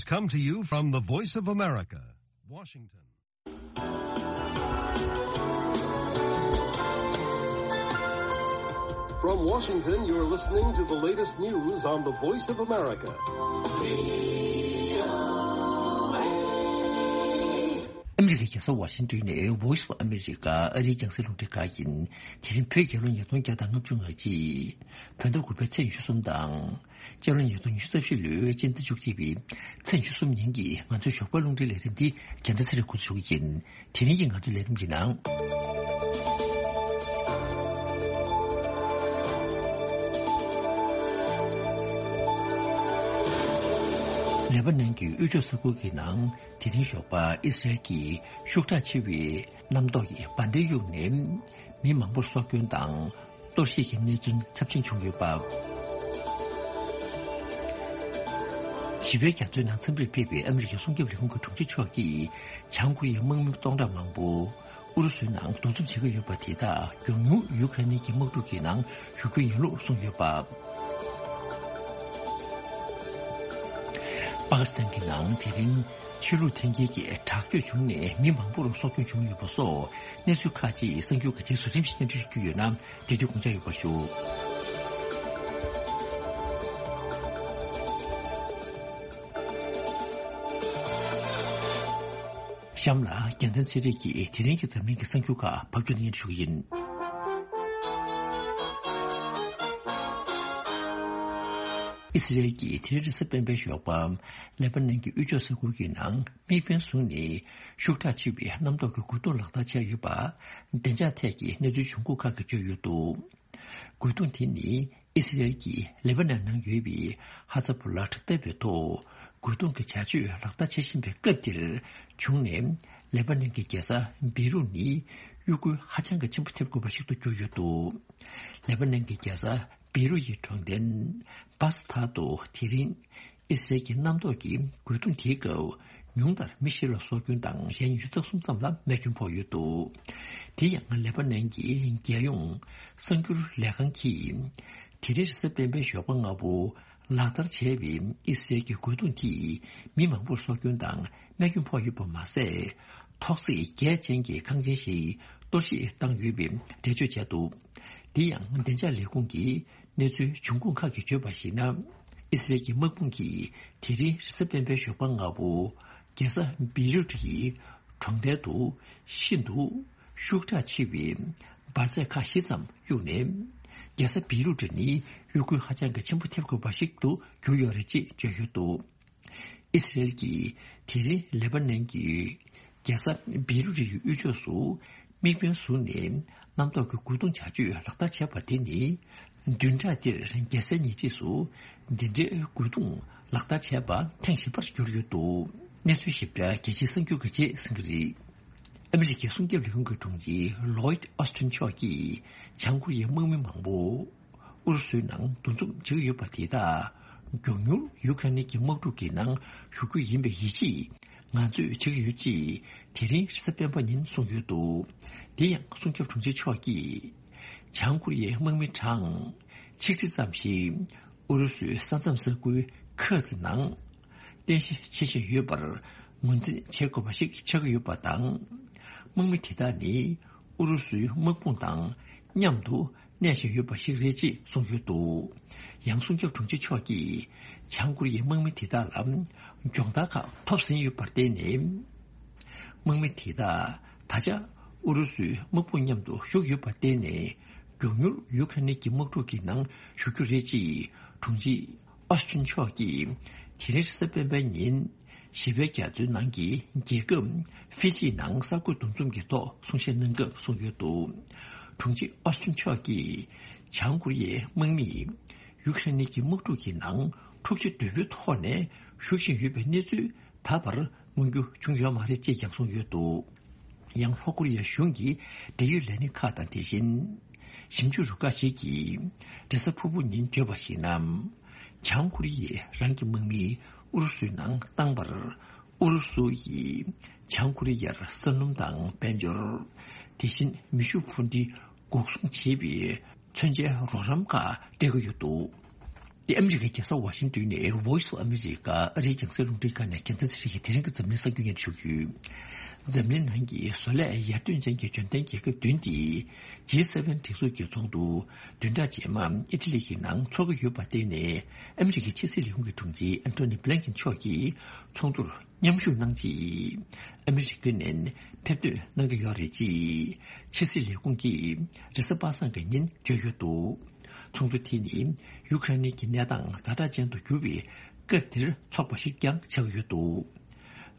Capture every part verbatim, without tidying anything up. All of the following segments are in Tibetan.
Come to you from the Voice of America, Washington. From Washington, you're listening to the latest news on the Voice of America. ཨ་མི་རི་ཀའི་རྒྱལ་ས་ཝ་ཤིང་ཏོན་ནས་Voice of America ཨ་རིའི་རྒྱང་སྲིང་རླུང་འཕྲིན་ཁང་ཡིན། དེ་རིང་བོད་རྒྱལ་ལོ་ཉིས་སྟོང་བརྒྱ་དང་ལྔ་བཅུ་ང་གཅིག་བོད་ཟླ་དགུ་པའི་ཚེས་ཉི་ཤུ་གསུམ་དང་། སྤྱི་ལོ་ཉིས་སྟོང་ཉི་ཤུ་རྩ་བཞི་ལོའི་སྤྱི་ཟླ་བཅུ་གཅིག་པའི་ཚེས་ཉི་ཤུ་གསུམ་ཉིན་གྱི་ང་ཚོའི་ཞོགས་པའི་རླུང་འཕྲིན་ལས་རིམ་འདི་རྒྱལ་ཕྲན་ཚེ་རིང་འགོ་འཛུགས་ཞུ་གི་ཡིན། དེ་རིང་གི་ང་ཚོའི་ལས་རིམ་གྱི་ནང་། ལེ་པ་ནན་གྱི་དབུས་ཕྱོགས་ས་ཁུལ་གྱི་ནང་དེ་རིང་ཞོགས་པ་ཨི་སི་རལ་གྱི་ཤུགས་དྲག་ཆེ་བའི་གནམ་ཐོག་གི་འབར་མདེལ་གཡུགས་ནས་མི་མང་པོར་སྲོག་སྐྱོན་དང་། གཏོར་བཤིག་གི་གནས་ཚུལ་ཚབས་ཆེན་བྱུང་ཡོད་པ། ཞི་བའི་རྒྱ་མཚོའི་ནང་འཚམས་འདྲིར་ཕེབས་པའི་ཨ་མི་རི་ཀའི་སྲུང་སྐྱོབ་ལས་ཁུངས་ཀྱི་དྲུང་ཆེ་མཆོག་གིས་བྱང་ཀོ་རི་ཡའི་དམག་མི་སྟོང་ཕྲག་མང་པོ་ཨུ་རུ་སུའི་ནང་འདུ་འཛོམས་བྱེད་ཀྱི་ཡོད་པ་དེ་དག་མགྱོགས་མྱུར་ཡུ་ཁ་རེན་གྱི་དམག་འཁྲུག་གི་ནང་ཞུགས་རྒྱུ་ཡིན་ལུགས་གསུངས་ཡོད་པ། པ་ཀི་སི་ཐན་གྱི་ནང་དེ་རིང་ཆོས་ལུགས་འཐེན་འཁྱེར་གྱི་དྲག་སྤྱོད་བྱུང་ནས་མི་མང་པོར་སྲོག་སྐྱོན་བྱུང་ཡོད་པ་སོགས་གནས་ཚུལ་ཁག་ཅིག་གསར་འགྱུར་གྱི་རྗེས་སུ་རིམ་བཞིན་སྙན་སྒྲོན་ཞུ་རྒྱུ་ཡོད་ན། དེ་དུས་དགོངས་འཇགས་ཡོད་པ་ཞུ། གཤམ་ལ་རྒྱལ་མཚན་ཚེ་རིང་གིས་དེ་རིང་གི་འཛམ་གླིང་གི་གསར་འགྱུར་ཁག་ཕབ་སྒྱུར་སྙན་ཞུ་གི་ཡིན། ཨི་སི་རལ་གྱིས་དེ་རིང་རེས་གཟའ་སྤེན་པའི་ཞོགས་པ་ལེ་པ་ནན་གྱི་དབུས་ཕྱོགས་ས་ཁུལ་གྱི་ནང་དམིགས་འབེན་བཟུང་ནས་ཤུགས་དྲག་ཆེ་བའི་གནམ་ཐོག་གི་རྒོལ་རྡུང་ལག་བསྟར་བྱས་ཡོད་པ་བདེ་འཇགས་ཐད་ཀྱི་གནས་ཚུལ་བྱུང་ཁུངས་ཁག་གིས་བརྗོད་ཡོད་འདུག་རྒོལ་རྡུང་དེ་ནི་ཨི་སི་རལ་གྱིས་ལེ་པ་ནན་ནང་ཡོད་པའི་ཧ་ཛ་བུ་ལ་དྲག་འཐབ་པའི་ཐོག་རྒོལ་རྡུང་གི་བྱ་སྤྱོད་ལག་བསྟར་བྱེད་བཞིན་པའི་སྐབས་དེར་བྱུང་ནས། ལེ་པ་ནན་གྱི་རྒྱལ་ས་བེ་རུད་ནི་གཡོ་འགུལ་ཧ་ཅང་གི་ཆེན་པོ་ཐེབས་དགོས་པ་ཞིག་ཏུ་གྱུར་ཡོད་འདུག་ལེ་པ་ནན་གྱི་རྒྱལ་ས་བེ་རུད་ཡི་གྲོང་རྡལ་བ་སི་ཐ་དུ་དེ་རིང་ཨི་སི་རལ་གྱི་གནམ་ཐོག་གི་རྒོལ་རྡུང་དེའི་སྐབས་ཉུང་མཐར་མི་བཞི་ལ་སྲོག་སྐྱོན་དང་གཞན་ཉི་ཤུ་རྩ་གསུམ་ཙམ་ལ་རྨས་སྐྱོན་ཕོག་ཡོད་འདུག་དེ་ཡང་ལེ་པ་ནན་གྱི་རྒྱལ་ཡོངས་གསར་འགྱུར་ལས་ཁང་གིས་དེ་རིང་རེས་གཟའ་སྤེན་པའི་ཞོགས་པ་སྔ་པོ་ལག་བསྟར་བྱས་པའི་ཨི་སི་རལ་གྱི་རྒོལ་རྡུང་དེས་མི་མང་པོར་སྲོག་སྐྱོན་དང་རྨས་སྐྱོན་ཕོག་ཡོད་པ་མ་ཟད། ཐོག་བརྩེགས་བརྒྱད་ཅན་གྱི་ཁང་ཆེན་ཞིག་གཏོར་བཤིག་བཏང་ཡོད་པའི་འགྲེལ་བརྗོད་བྱས་འདུག་དེ་ཡང་བདེ་འཇགས་ལས་ཁུངས་ཀྱི་གནས་ཚུལ་འབྱུང་ཁུངས་ཁག་གིས་བརྗོད་པར་གཞིགས་ན། ཨི་སི་རལ་གྱི་དམག་དཔུང་གིས་དེ་རིང་རེས་གཟའ་སྤེན་པའི་ཞོགས་པ་སྔ་པོ་རྒྱལ་ས་བེ་རུད་ཀྱི་གྲོང་རྡལ་དུ་ཤིན་ཏུ་ཤུགས་དྲག་ཆེ་བའི་འབར་རྫས་ཁག་བཞི་ཙམ་གཡུགས་ནས། རྒྱལ་ས་བེ་རུད་ནི་གཡོ་འགུལ་ཧ་ཅང་གི་ཆེན་པོ་ཐེབས་དགོས་པ་ཞིག་ཏུ་གྱུར་ཡོད་རེད་ཅེས་བརྗོད་ཡོད་འདུག་ཨི་སི་རལ་གྱིས་དེ་རིང་ལེ་པ་ནན་གྱི་རྒྱལ་ས་བེ་རུ་རི་ཡི་དབུས་ཕྱོགས་སུ་དམིགས་འབེན་བཟུང་ནས་གནམ་ཐོག་གི་རྒོལ་རྡུང་བྱ་སྤྱོད་ལག་བསྟར་བྱས་པ་དེ་ནི། བདུན་ཕྲག་འདིར་རྒྱལ་སའི་ཉེ་འཁྲིས་སུ་འདི་འདྲའི་རྒོལ་རྡུང་ལག་བསྟར་བྱས་པ་ཐེངས་བཞི་པར་གྱུར་ཡོད་འདུག་གནས་ཚུལ་ཞིབ་ཕྲ་རྒྱལ་སྤྱིའི་གསར་འགྱུར་གྱི་རྗེས་གསན་གྱི་རེད། ཨ་མི་རི་ཀའི་སྲུང་སྐྱོབ་ལས་ཁུངས་ཀྱི་དྲུང་ཆེ་ལོའིད་ཨོ་སི་ཊིན་མཆོག་གིས་བྱང་ཀོ་རི་ཡའི་དམག་མི་མང་པོ་ཨུ་རུ་སུའི་ནང་འདུ་འཛོམས་བྱེད་ཀྱི་ཡོད་པ་དེ་དག་མགྱོགས་མྱུར་ཡུ་ཁ་རེན་གྱི་དམག་འཁྲུག་གི་ནང་ཞུགས་རྒྱུ་ཡིན་པའི་ཡིད་ཆེས་ང་ཚོས་བྱེད་ཀྱི་ཡོད་ཅེས་དེ་རིང་རེས་གཟའ་སྤེན་པ་ཉིན་གསུངས་ཡོད་འདུག་དེ་ཡང་སྲུང་སྐྱོབ་དྲུང་ཆེ་མཆོག་གིས་བྱང་ཀོ་རི་ཡའི་དམག་མི་གྲངས་ཆིག་ཁྲི་ཙམ་ཞིག་ཨུ་རུ་སུའི་ས་མཚམས་ས་ཁུལ་ཁ་ཙི་ནང་རྟེན་གཞི་བྱེད་བཞིན་ཡོད་པར་ངོས་འཛིན་བྱེད་དགོས་པ་ཞིག་ཆགས་ཀྱི་ཡོད་པ་དང་། དམག་མི་དེ་དག་ནི་ཨུ་རུ་སུའི་དམག་དཔུང་དང་མཉམ་དུ་གནས་བཞིན་ཡོད་པ་ཞིག་རེད་ཅེས་གསུངས་ཡོད་འདུག་ཡང་སྲུང་སྐྱོབ་དྲུང་ཆེ་མཆོག་གིས་བྱང་ཀོ་རི་ཡའི་དམག་མི་དེ་དག་ལ་སྦྱོང་བརྡར་ཁག་ཐོབ་ཟིན་ཡོད་པར་བརྟེན་ནས། དམག་མི་དེ་དག་ད་ཆ་ཨུ་རུ་སུའི་དམག་དཔུང་མཉམ་དུ་ཞུགས་ཡོད་པར་བརྟེན་ནས། མགྱོགས་མྱུར་ཡུ་ཁ་རེན་གྱི་དམག་འཁྲུག་གི་ནང་ཞུགས་རྒྱུ་རེད་ཅེས་དྲུང་ཆེ་ཨོ་སི་ཊིན་མཆོག་གིས་དེ་རིང་རེས་གཟའ་སྤེན་པའི་ཉིན་ཞི་བའི་རྒྱ་མཚོའི་ནང་གི་རྒྱལ་ཁབ་ཧྥི་ཇི་ནང་གསར་འགོད་འདུ་འཛོམས་ཀྱི་ཐོག་གསུང་བཤད་གནང་སྐབས་གསུངས་ཡོད་འདུག་དྲུང་ཆེ་ཨོ་སི་ཊིན་མཆོག་གིས་བྱང་ཀོ་རི་ཡའི་དམག་མིས་ཡུ་ཁ་རེན་གྱི་དམག་འཁྲུག་གི་ནང་འཁྲུག་ཆ་དོད་པོའི་ཐོག་ནས་ཞུགས་བཞིན་ཡོད་པའི་གནས་ཚུལ་ད་བར་མངོན་རྒྱུ་བྱུང་ཡོད་མ་རེད་ཅེས་ཀྱང་གསུངས་ཡོད་འདུག་ཡང་ལྷོ་ཀོ་རི་ཡ་གཞུང་གི་འབྲེལ་ཡོད་ལས་སྣེ་ཁག་དང་དེ་བཞིན་ཞིབ་འཇུག་རུ་ཁག་ཞིག་གིས་རེས་གཟའ་ཕུར་བུ་ཉིན་བརྗོད་པར་གཞིགས་ན། བྱང་ཀོ་རི་ཡས་རང་གི་དམག་མི་ཨུ་རུ་སུའི་ནང་བཏང་བར་ཨུ་རུ་སུ་ཡིས་བྱང་ཀོ་རི་ཡར་ས་སྣུམ་དང་དཔལ་འབྱོར། དེ་བཞིན་མེ་ཤུགས་འཕུར་མདེལ་འགོག་སྲུང་བྱེད་པའི་མཚོན་ཆའི་རོགས་རམ་ཁག་སྤྲད་ཀྱི་ཡོད་འདུག་འདི་ཨ་མི་རི་ཀའི་རྒྱལ་ས་ཝ་ཤིང་ཏོན་ནས་Voice of America ཨ་རིའི་རྒྱང་སྲིང་རླུང་འཕྲིན་ཁང་ནས་རྒྱལ་མཚན་ཚེ་རིང་གིས་དེ་རིང་གི་འཛམ་གླིང་གསར་འགྱུར་སྙན་སྒྲོན་ཞུ་རྒྱུ། འཛམ་གླིང་ནང་གི་བཟོ་ལས་ཡར་ཐོན་ཅན་གྱི་འཇོན་ཐང་རྒྱལ་ཁབ་བདུན་དེ་ཇི་སེ་ཝེན་སྒྲིག་འཛུགས་ཀྱི་ཚོགས་འདུ་བདུན་ཕྲག་རྗེས་མ་ཨི་ཊ་ལི་གི་ནང་འཚོགས་ཀྱི་ཡོད་པར་བརྟེན་ནས། ཨ་མི་རི་ཀའི་ཕྱི་སྲིད་ལས་ཁུངས་ཀྱི་དྲུང་ཆེ་ཨན་ཐོ་ནི་བྷི་ལན་ཀིན་མཆོག་གིས་ཚོགས་འདུར་མཉམ་ཞུགས་གནང་ཆེད་ཨ་མི་རི་ཀ་ནས་ཕེབས་ཐོན་གནང་གི་ཡོད་རེད་ཅེས་ཕྱི་སྲིད་ལས་ཁུངས་ཀྱིས་རེས་གཟའ་པ་སངས་ཀྱི་ཉིན་བརྗོད་ཡོད་འདུག། ཚོགས་འདུ་དེ་ནི་ཡུ་ཀེ་རེན་གྱི་གནས་སྟངས་ཛ་དྲག་ཅན་དུ་གྱུར་བའི་སྐབས་འདིར་འཚོགས་པ་ཞིག་ཀྱང་ཆགས་ཡོད་འདུག།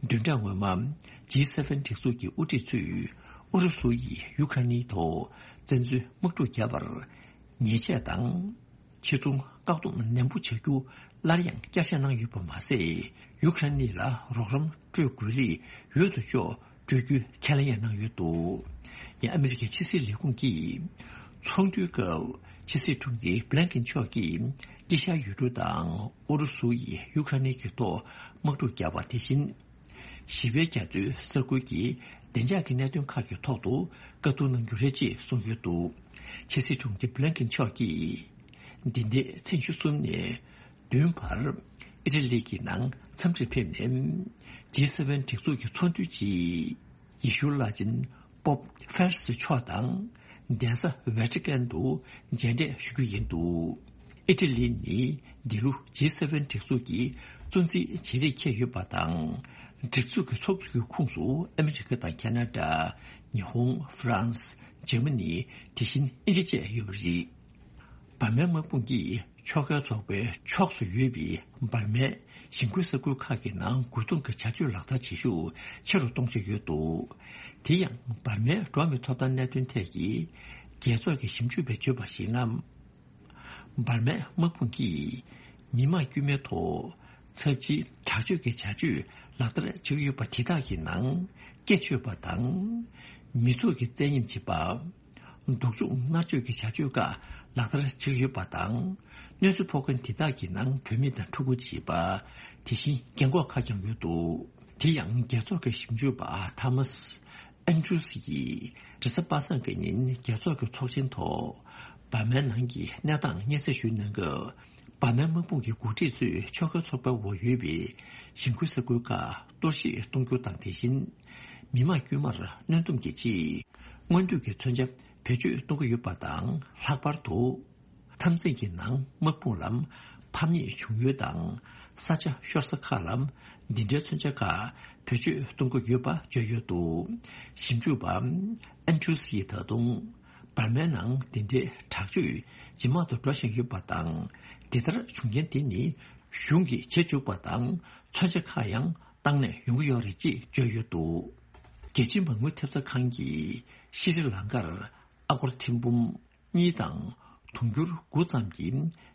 བདུན་ཕྲག་སྔོན་མ་ཇི་སེ་ཝེན་སྒྲིག་འཛུགས་ཀྱི་དབུ་ཁྲིད་ཚོས་ཨུ་རུ་སུ་ཡིས་ཡུ་ཀེ་རེན་ཐོག་བཙན་འཛུལ་དམག་འཁྲུག་བརྒྱབ་པར་ཉེས་ཆད་དང་། ཕྱི་ཚོང་བཀག་སྡོམ་ནན་པོ་བྱ་རྒྱུ་སླར་ཡང་བསྐྱར་བཤད་གནང་ཡོད་པ་མ་ཟད། ཡུ་ཀེ་རེན་ལ་རོགས་རམ་སྤྲོད་དགོས་ལེ་ཡོད་དོ་ཅོག་སྤྲོད་རྒྱུའི་ཁས་ལེན་ཡང་གནང་ཡོད་འདུག། ཡང་ཨ་མི་རི་ཀའི་ཕྱི་སྲིད་ལས་ཁུངས་ཀྱིས་ཚོགས་འདུའི་སྐབས་ཕྱི་སྲིད་དྲུང་ཆེ་བྷི་ལན་ཀིན་མཆོག་གིས་དཀྱིལ་ཤར་ཡུལ་གྲུ་དང་ཨུ་རུ་སུ་ཡིས་ཡུ་ཀེ་རེན་གྱི་ཐོག་དམག་འཁྲུག་བརྒྱབ་པ་དེ་བཞིན། ཞི་བའི་རྒྱ་མཚོའི་ས་ཁུལ་གྱི་བདེ་འཇགས་ཀྱི་གནད་དོན་ཁག་གི་ཐོག་ཏུ་བཀའ་བསྡུར་གནང་རྒྱུ་རེད་ཅེས་གསུངས་ཡོད་འདུག། ཕྱི་སྲིད་དྲུང་ཆེ་བྷི་ལན་ཀིན་མཆོག་གིས་འདི་ཟླའི་ཚེས་ཉི་ཤུ་གསུམ་ནས་བདུན་བར་ཨི་ཊ་ལི་གི་ནང་འཚམས་འདྲིར་ཕེབས་ནས། ཇི་སེ་ཝེན་སྒྲིག་འཛུགས་ཀྱི་ཚོགས་འདུའི་རྗེས། ཡེ་ཤུའི་བླ་ཆེན་པོབ་ཧྥེ་རན་སི་མཆོག་དང་གདན་ས་ཝེ་ཏི་ཀན་དུ་མཇལ་འཕྲད་ཞུ་རྒྱུ་ཡིན་འདུག། ཨི་ཊ་ལི་ནི་འདི་ལོ་ཇི་སེ་ཝེན་སྒྲིག་འཛུགས་ཀྱི་གཙོ་འཛིན་བྱེད་རིགས་འཁེལ་ཡོད་པ་དང་། སྒྲིག་འཛུགས་ཀྱི་ཚོགས་འདུ་གི་ཁོངས་སུ་ཨ་མི་རི་ཀ་དང་ཁ་ན་ཌ། ཉི་ཧོང་། ཧྥ་རན་སི། འཇར་མ་ནི། དེ་བཞིན་དབྱིན་ཇི་བཅས་ཡོད་པ་རེད། འབར་མའི་དམག་དཔུང་གིས་ཕྱོགས་འགལ་ཚོགས་པའི་ཕྱོགས་སུ་ཡོད་པའི་འབར་མའི་ཞིང་ཁུལ་ས་ཁུལ་ཁག་གི་ནང་རྒོལ་རྡུང་གི་བྱ་སྤྱོད་ལག་བསྟར་བྱེད་ཤུགས་ཆེ་རུ་གཏོང་བཞིན་ཡོད་འདུག། དེ་ཡང་འབར་མའི་འགྲོ་བ་མིའི་ཐོབ་ཐང་གནད་དོན་ཐད་ཀྱི་རྒྱལ་ཚོགས་ཀྱི་ཞིབ་འཇུག་པས་བརྗོད་པར་གཞིགས་ན། འབར་མའི་དམག་དཔུང་གིས་མི་མང་དཀྱུས་མའི་ཐོག་ཚབས་ཆེའི་དྲག་སྤྱོད་ཀྱི་བྱ་སྤྱོད་ལག་བསྟར་བྱེད་ཀྱི་ཡོད་པ་དེ་དག་གི་ནང་སྐེ་གཅོད་པ་དང་། མི་ཚོགས་ཀྱི་བཙན་གཡེམ་བྱེད་པ། སྡུག་སྦྱོང་མནར་གཅོད་ཀྱི་བྱ་སྤྱོད་ཁག་ལག་བསྟར་བྱེད་ཀྱི་ཡོད་པ་དང་། གནོད་འཚེ་ཕོག་མཁན་དེ་དག་གི་ནང་བུད་མེད་དང་ཕྲུ་གུ་བཅས་པ། དེ་བཞིན་རྒན་འཁོགས་ཁག་ཀྱང་ཡོད་འདུག། དེ་ཡང་རྒྱལ་ཚོགས་ཀྱི་ཞིབ་འཇུག་པ་ཐ་མཱས་ཨན་ཌྲུས་ཡིས་རེས་གཟའ་པ་སངས་ཀྱི་ཉིན་རྒྱལ་ཚོགས་ཀྱི་ཚོགས་ཆེན་ཐོག་འབར་མའི་ནང་གི་གནས་སྟངས་སྙན་སེང་ཞུས་གནང་སྐབས། འབར་མའི་དམག་དཔུང་གི་འགོ་ཁྲིད་ཚོས་ཕྱོགས་འགལ་ཚོགས་པའི་འོག་ཡོད་པའི་ཞིང་ཁུལ་ས་ཁུལ་ཁག་གཏོར་བཤིག་གཏོང་རྒྱུ་དང་། དེ་བཞིན་མི་མང་དཀྱུས་མར་གནོན་སྡོམ་གྱི་ཆེད། སྔོན་འགྲོ་གི་མཚོན་ཆ་བེད་སྤྱོད་གཏོང་གི་ཡོད་པ་དང་། ལྷག་པར་དུ་འཐབ་འཛིང་གི་ནང་དམག་དཔུང་ལ་ཕམ་ཉེས་བྱུང་ཡུལ་དང་། ས་ཆ་ཤོར་ས་ཁག་ལ་འདི་འདྲའི་མཚོན་ཆ་ཁག་བེད་སྤྱོད་གཏོང་གི་ཡོད་པ་བརྗོད་ཡོད་འདུག། ཞིབ་འཇུག་པ་ཨན་ཌྲུས་ཡིས་ད་དུང་འབར་མའི་ནང་འདི་འདྲའི་དྲག་སྤྱོད་ཇེ་མང་དུ་འགྲོ་བཞིན་ཡོད་པ་དང་། འདི་ལྟར་བྱུང་རྐྱེན་དེ་ནི་གཞུང་གིས་བྱེད་བཅུག་པ་དང་། མཚོན་ཆ་ཁག་ཡང་བཏང་ནས་ཡོང་གི་ཡོད་རེད་ཅེས་བརྗོད་ཡོད་འདུག། རྒྱལ་སྤྱིའི་མ་དངུལ་ཐེབས་རྩ་ཁང་གིས་ཤྲི་ལང་ཀར་ཨ་སྒོར་ཐེར་འབུམ་གཉིས་དང་དུང་ཕྱུར་དགུ་ཙམ་གྱི་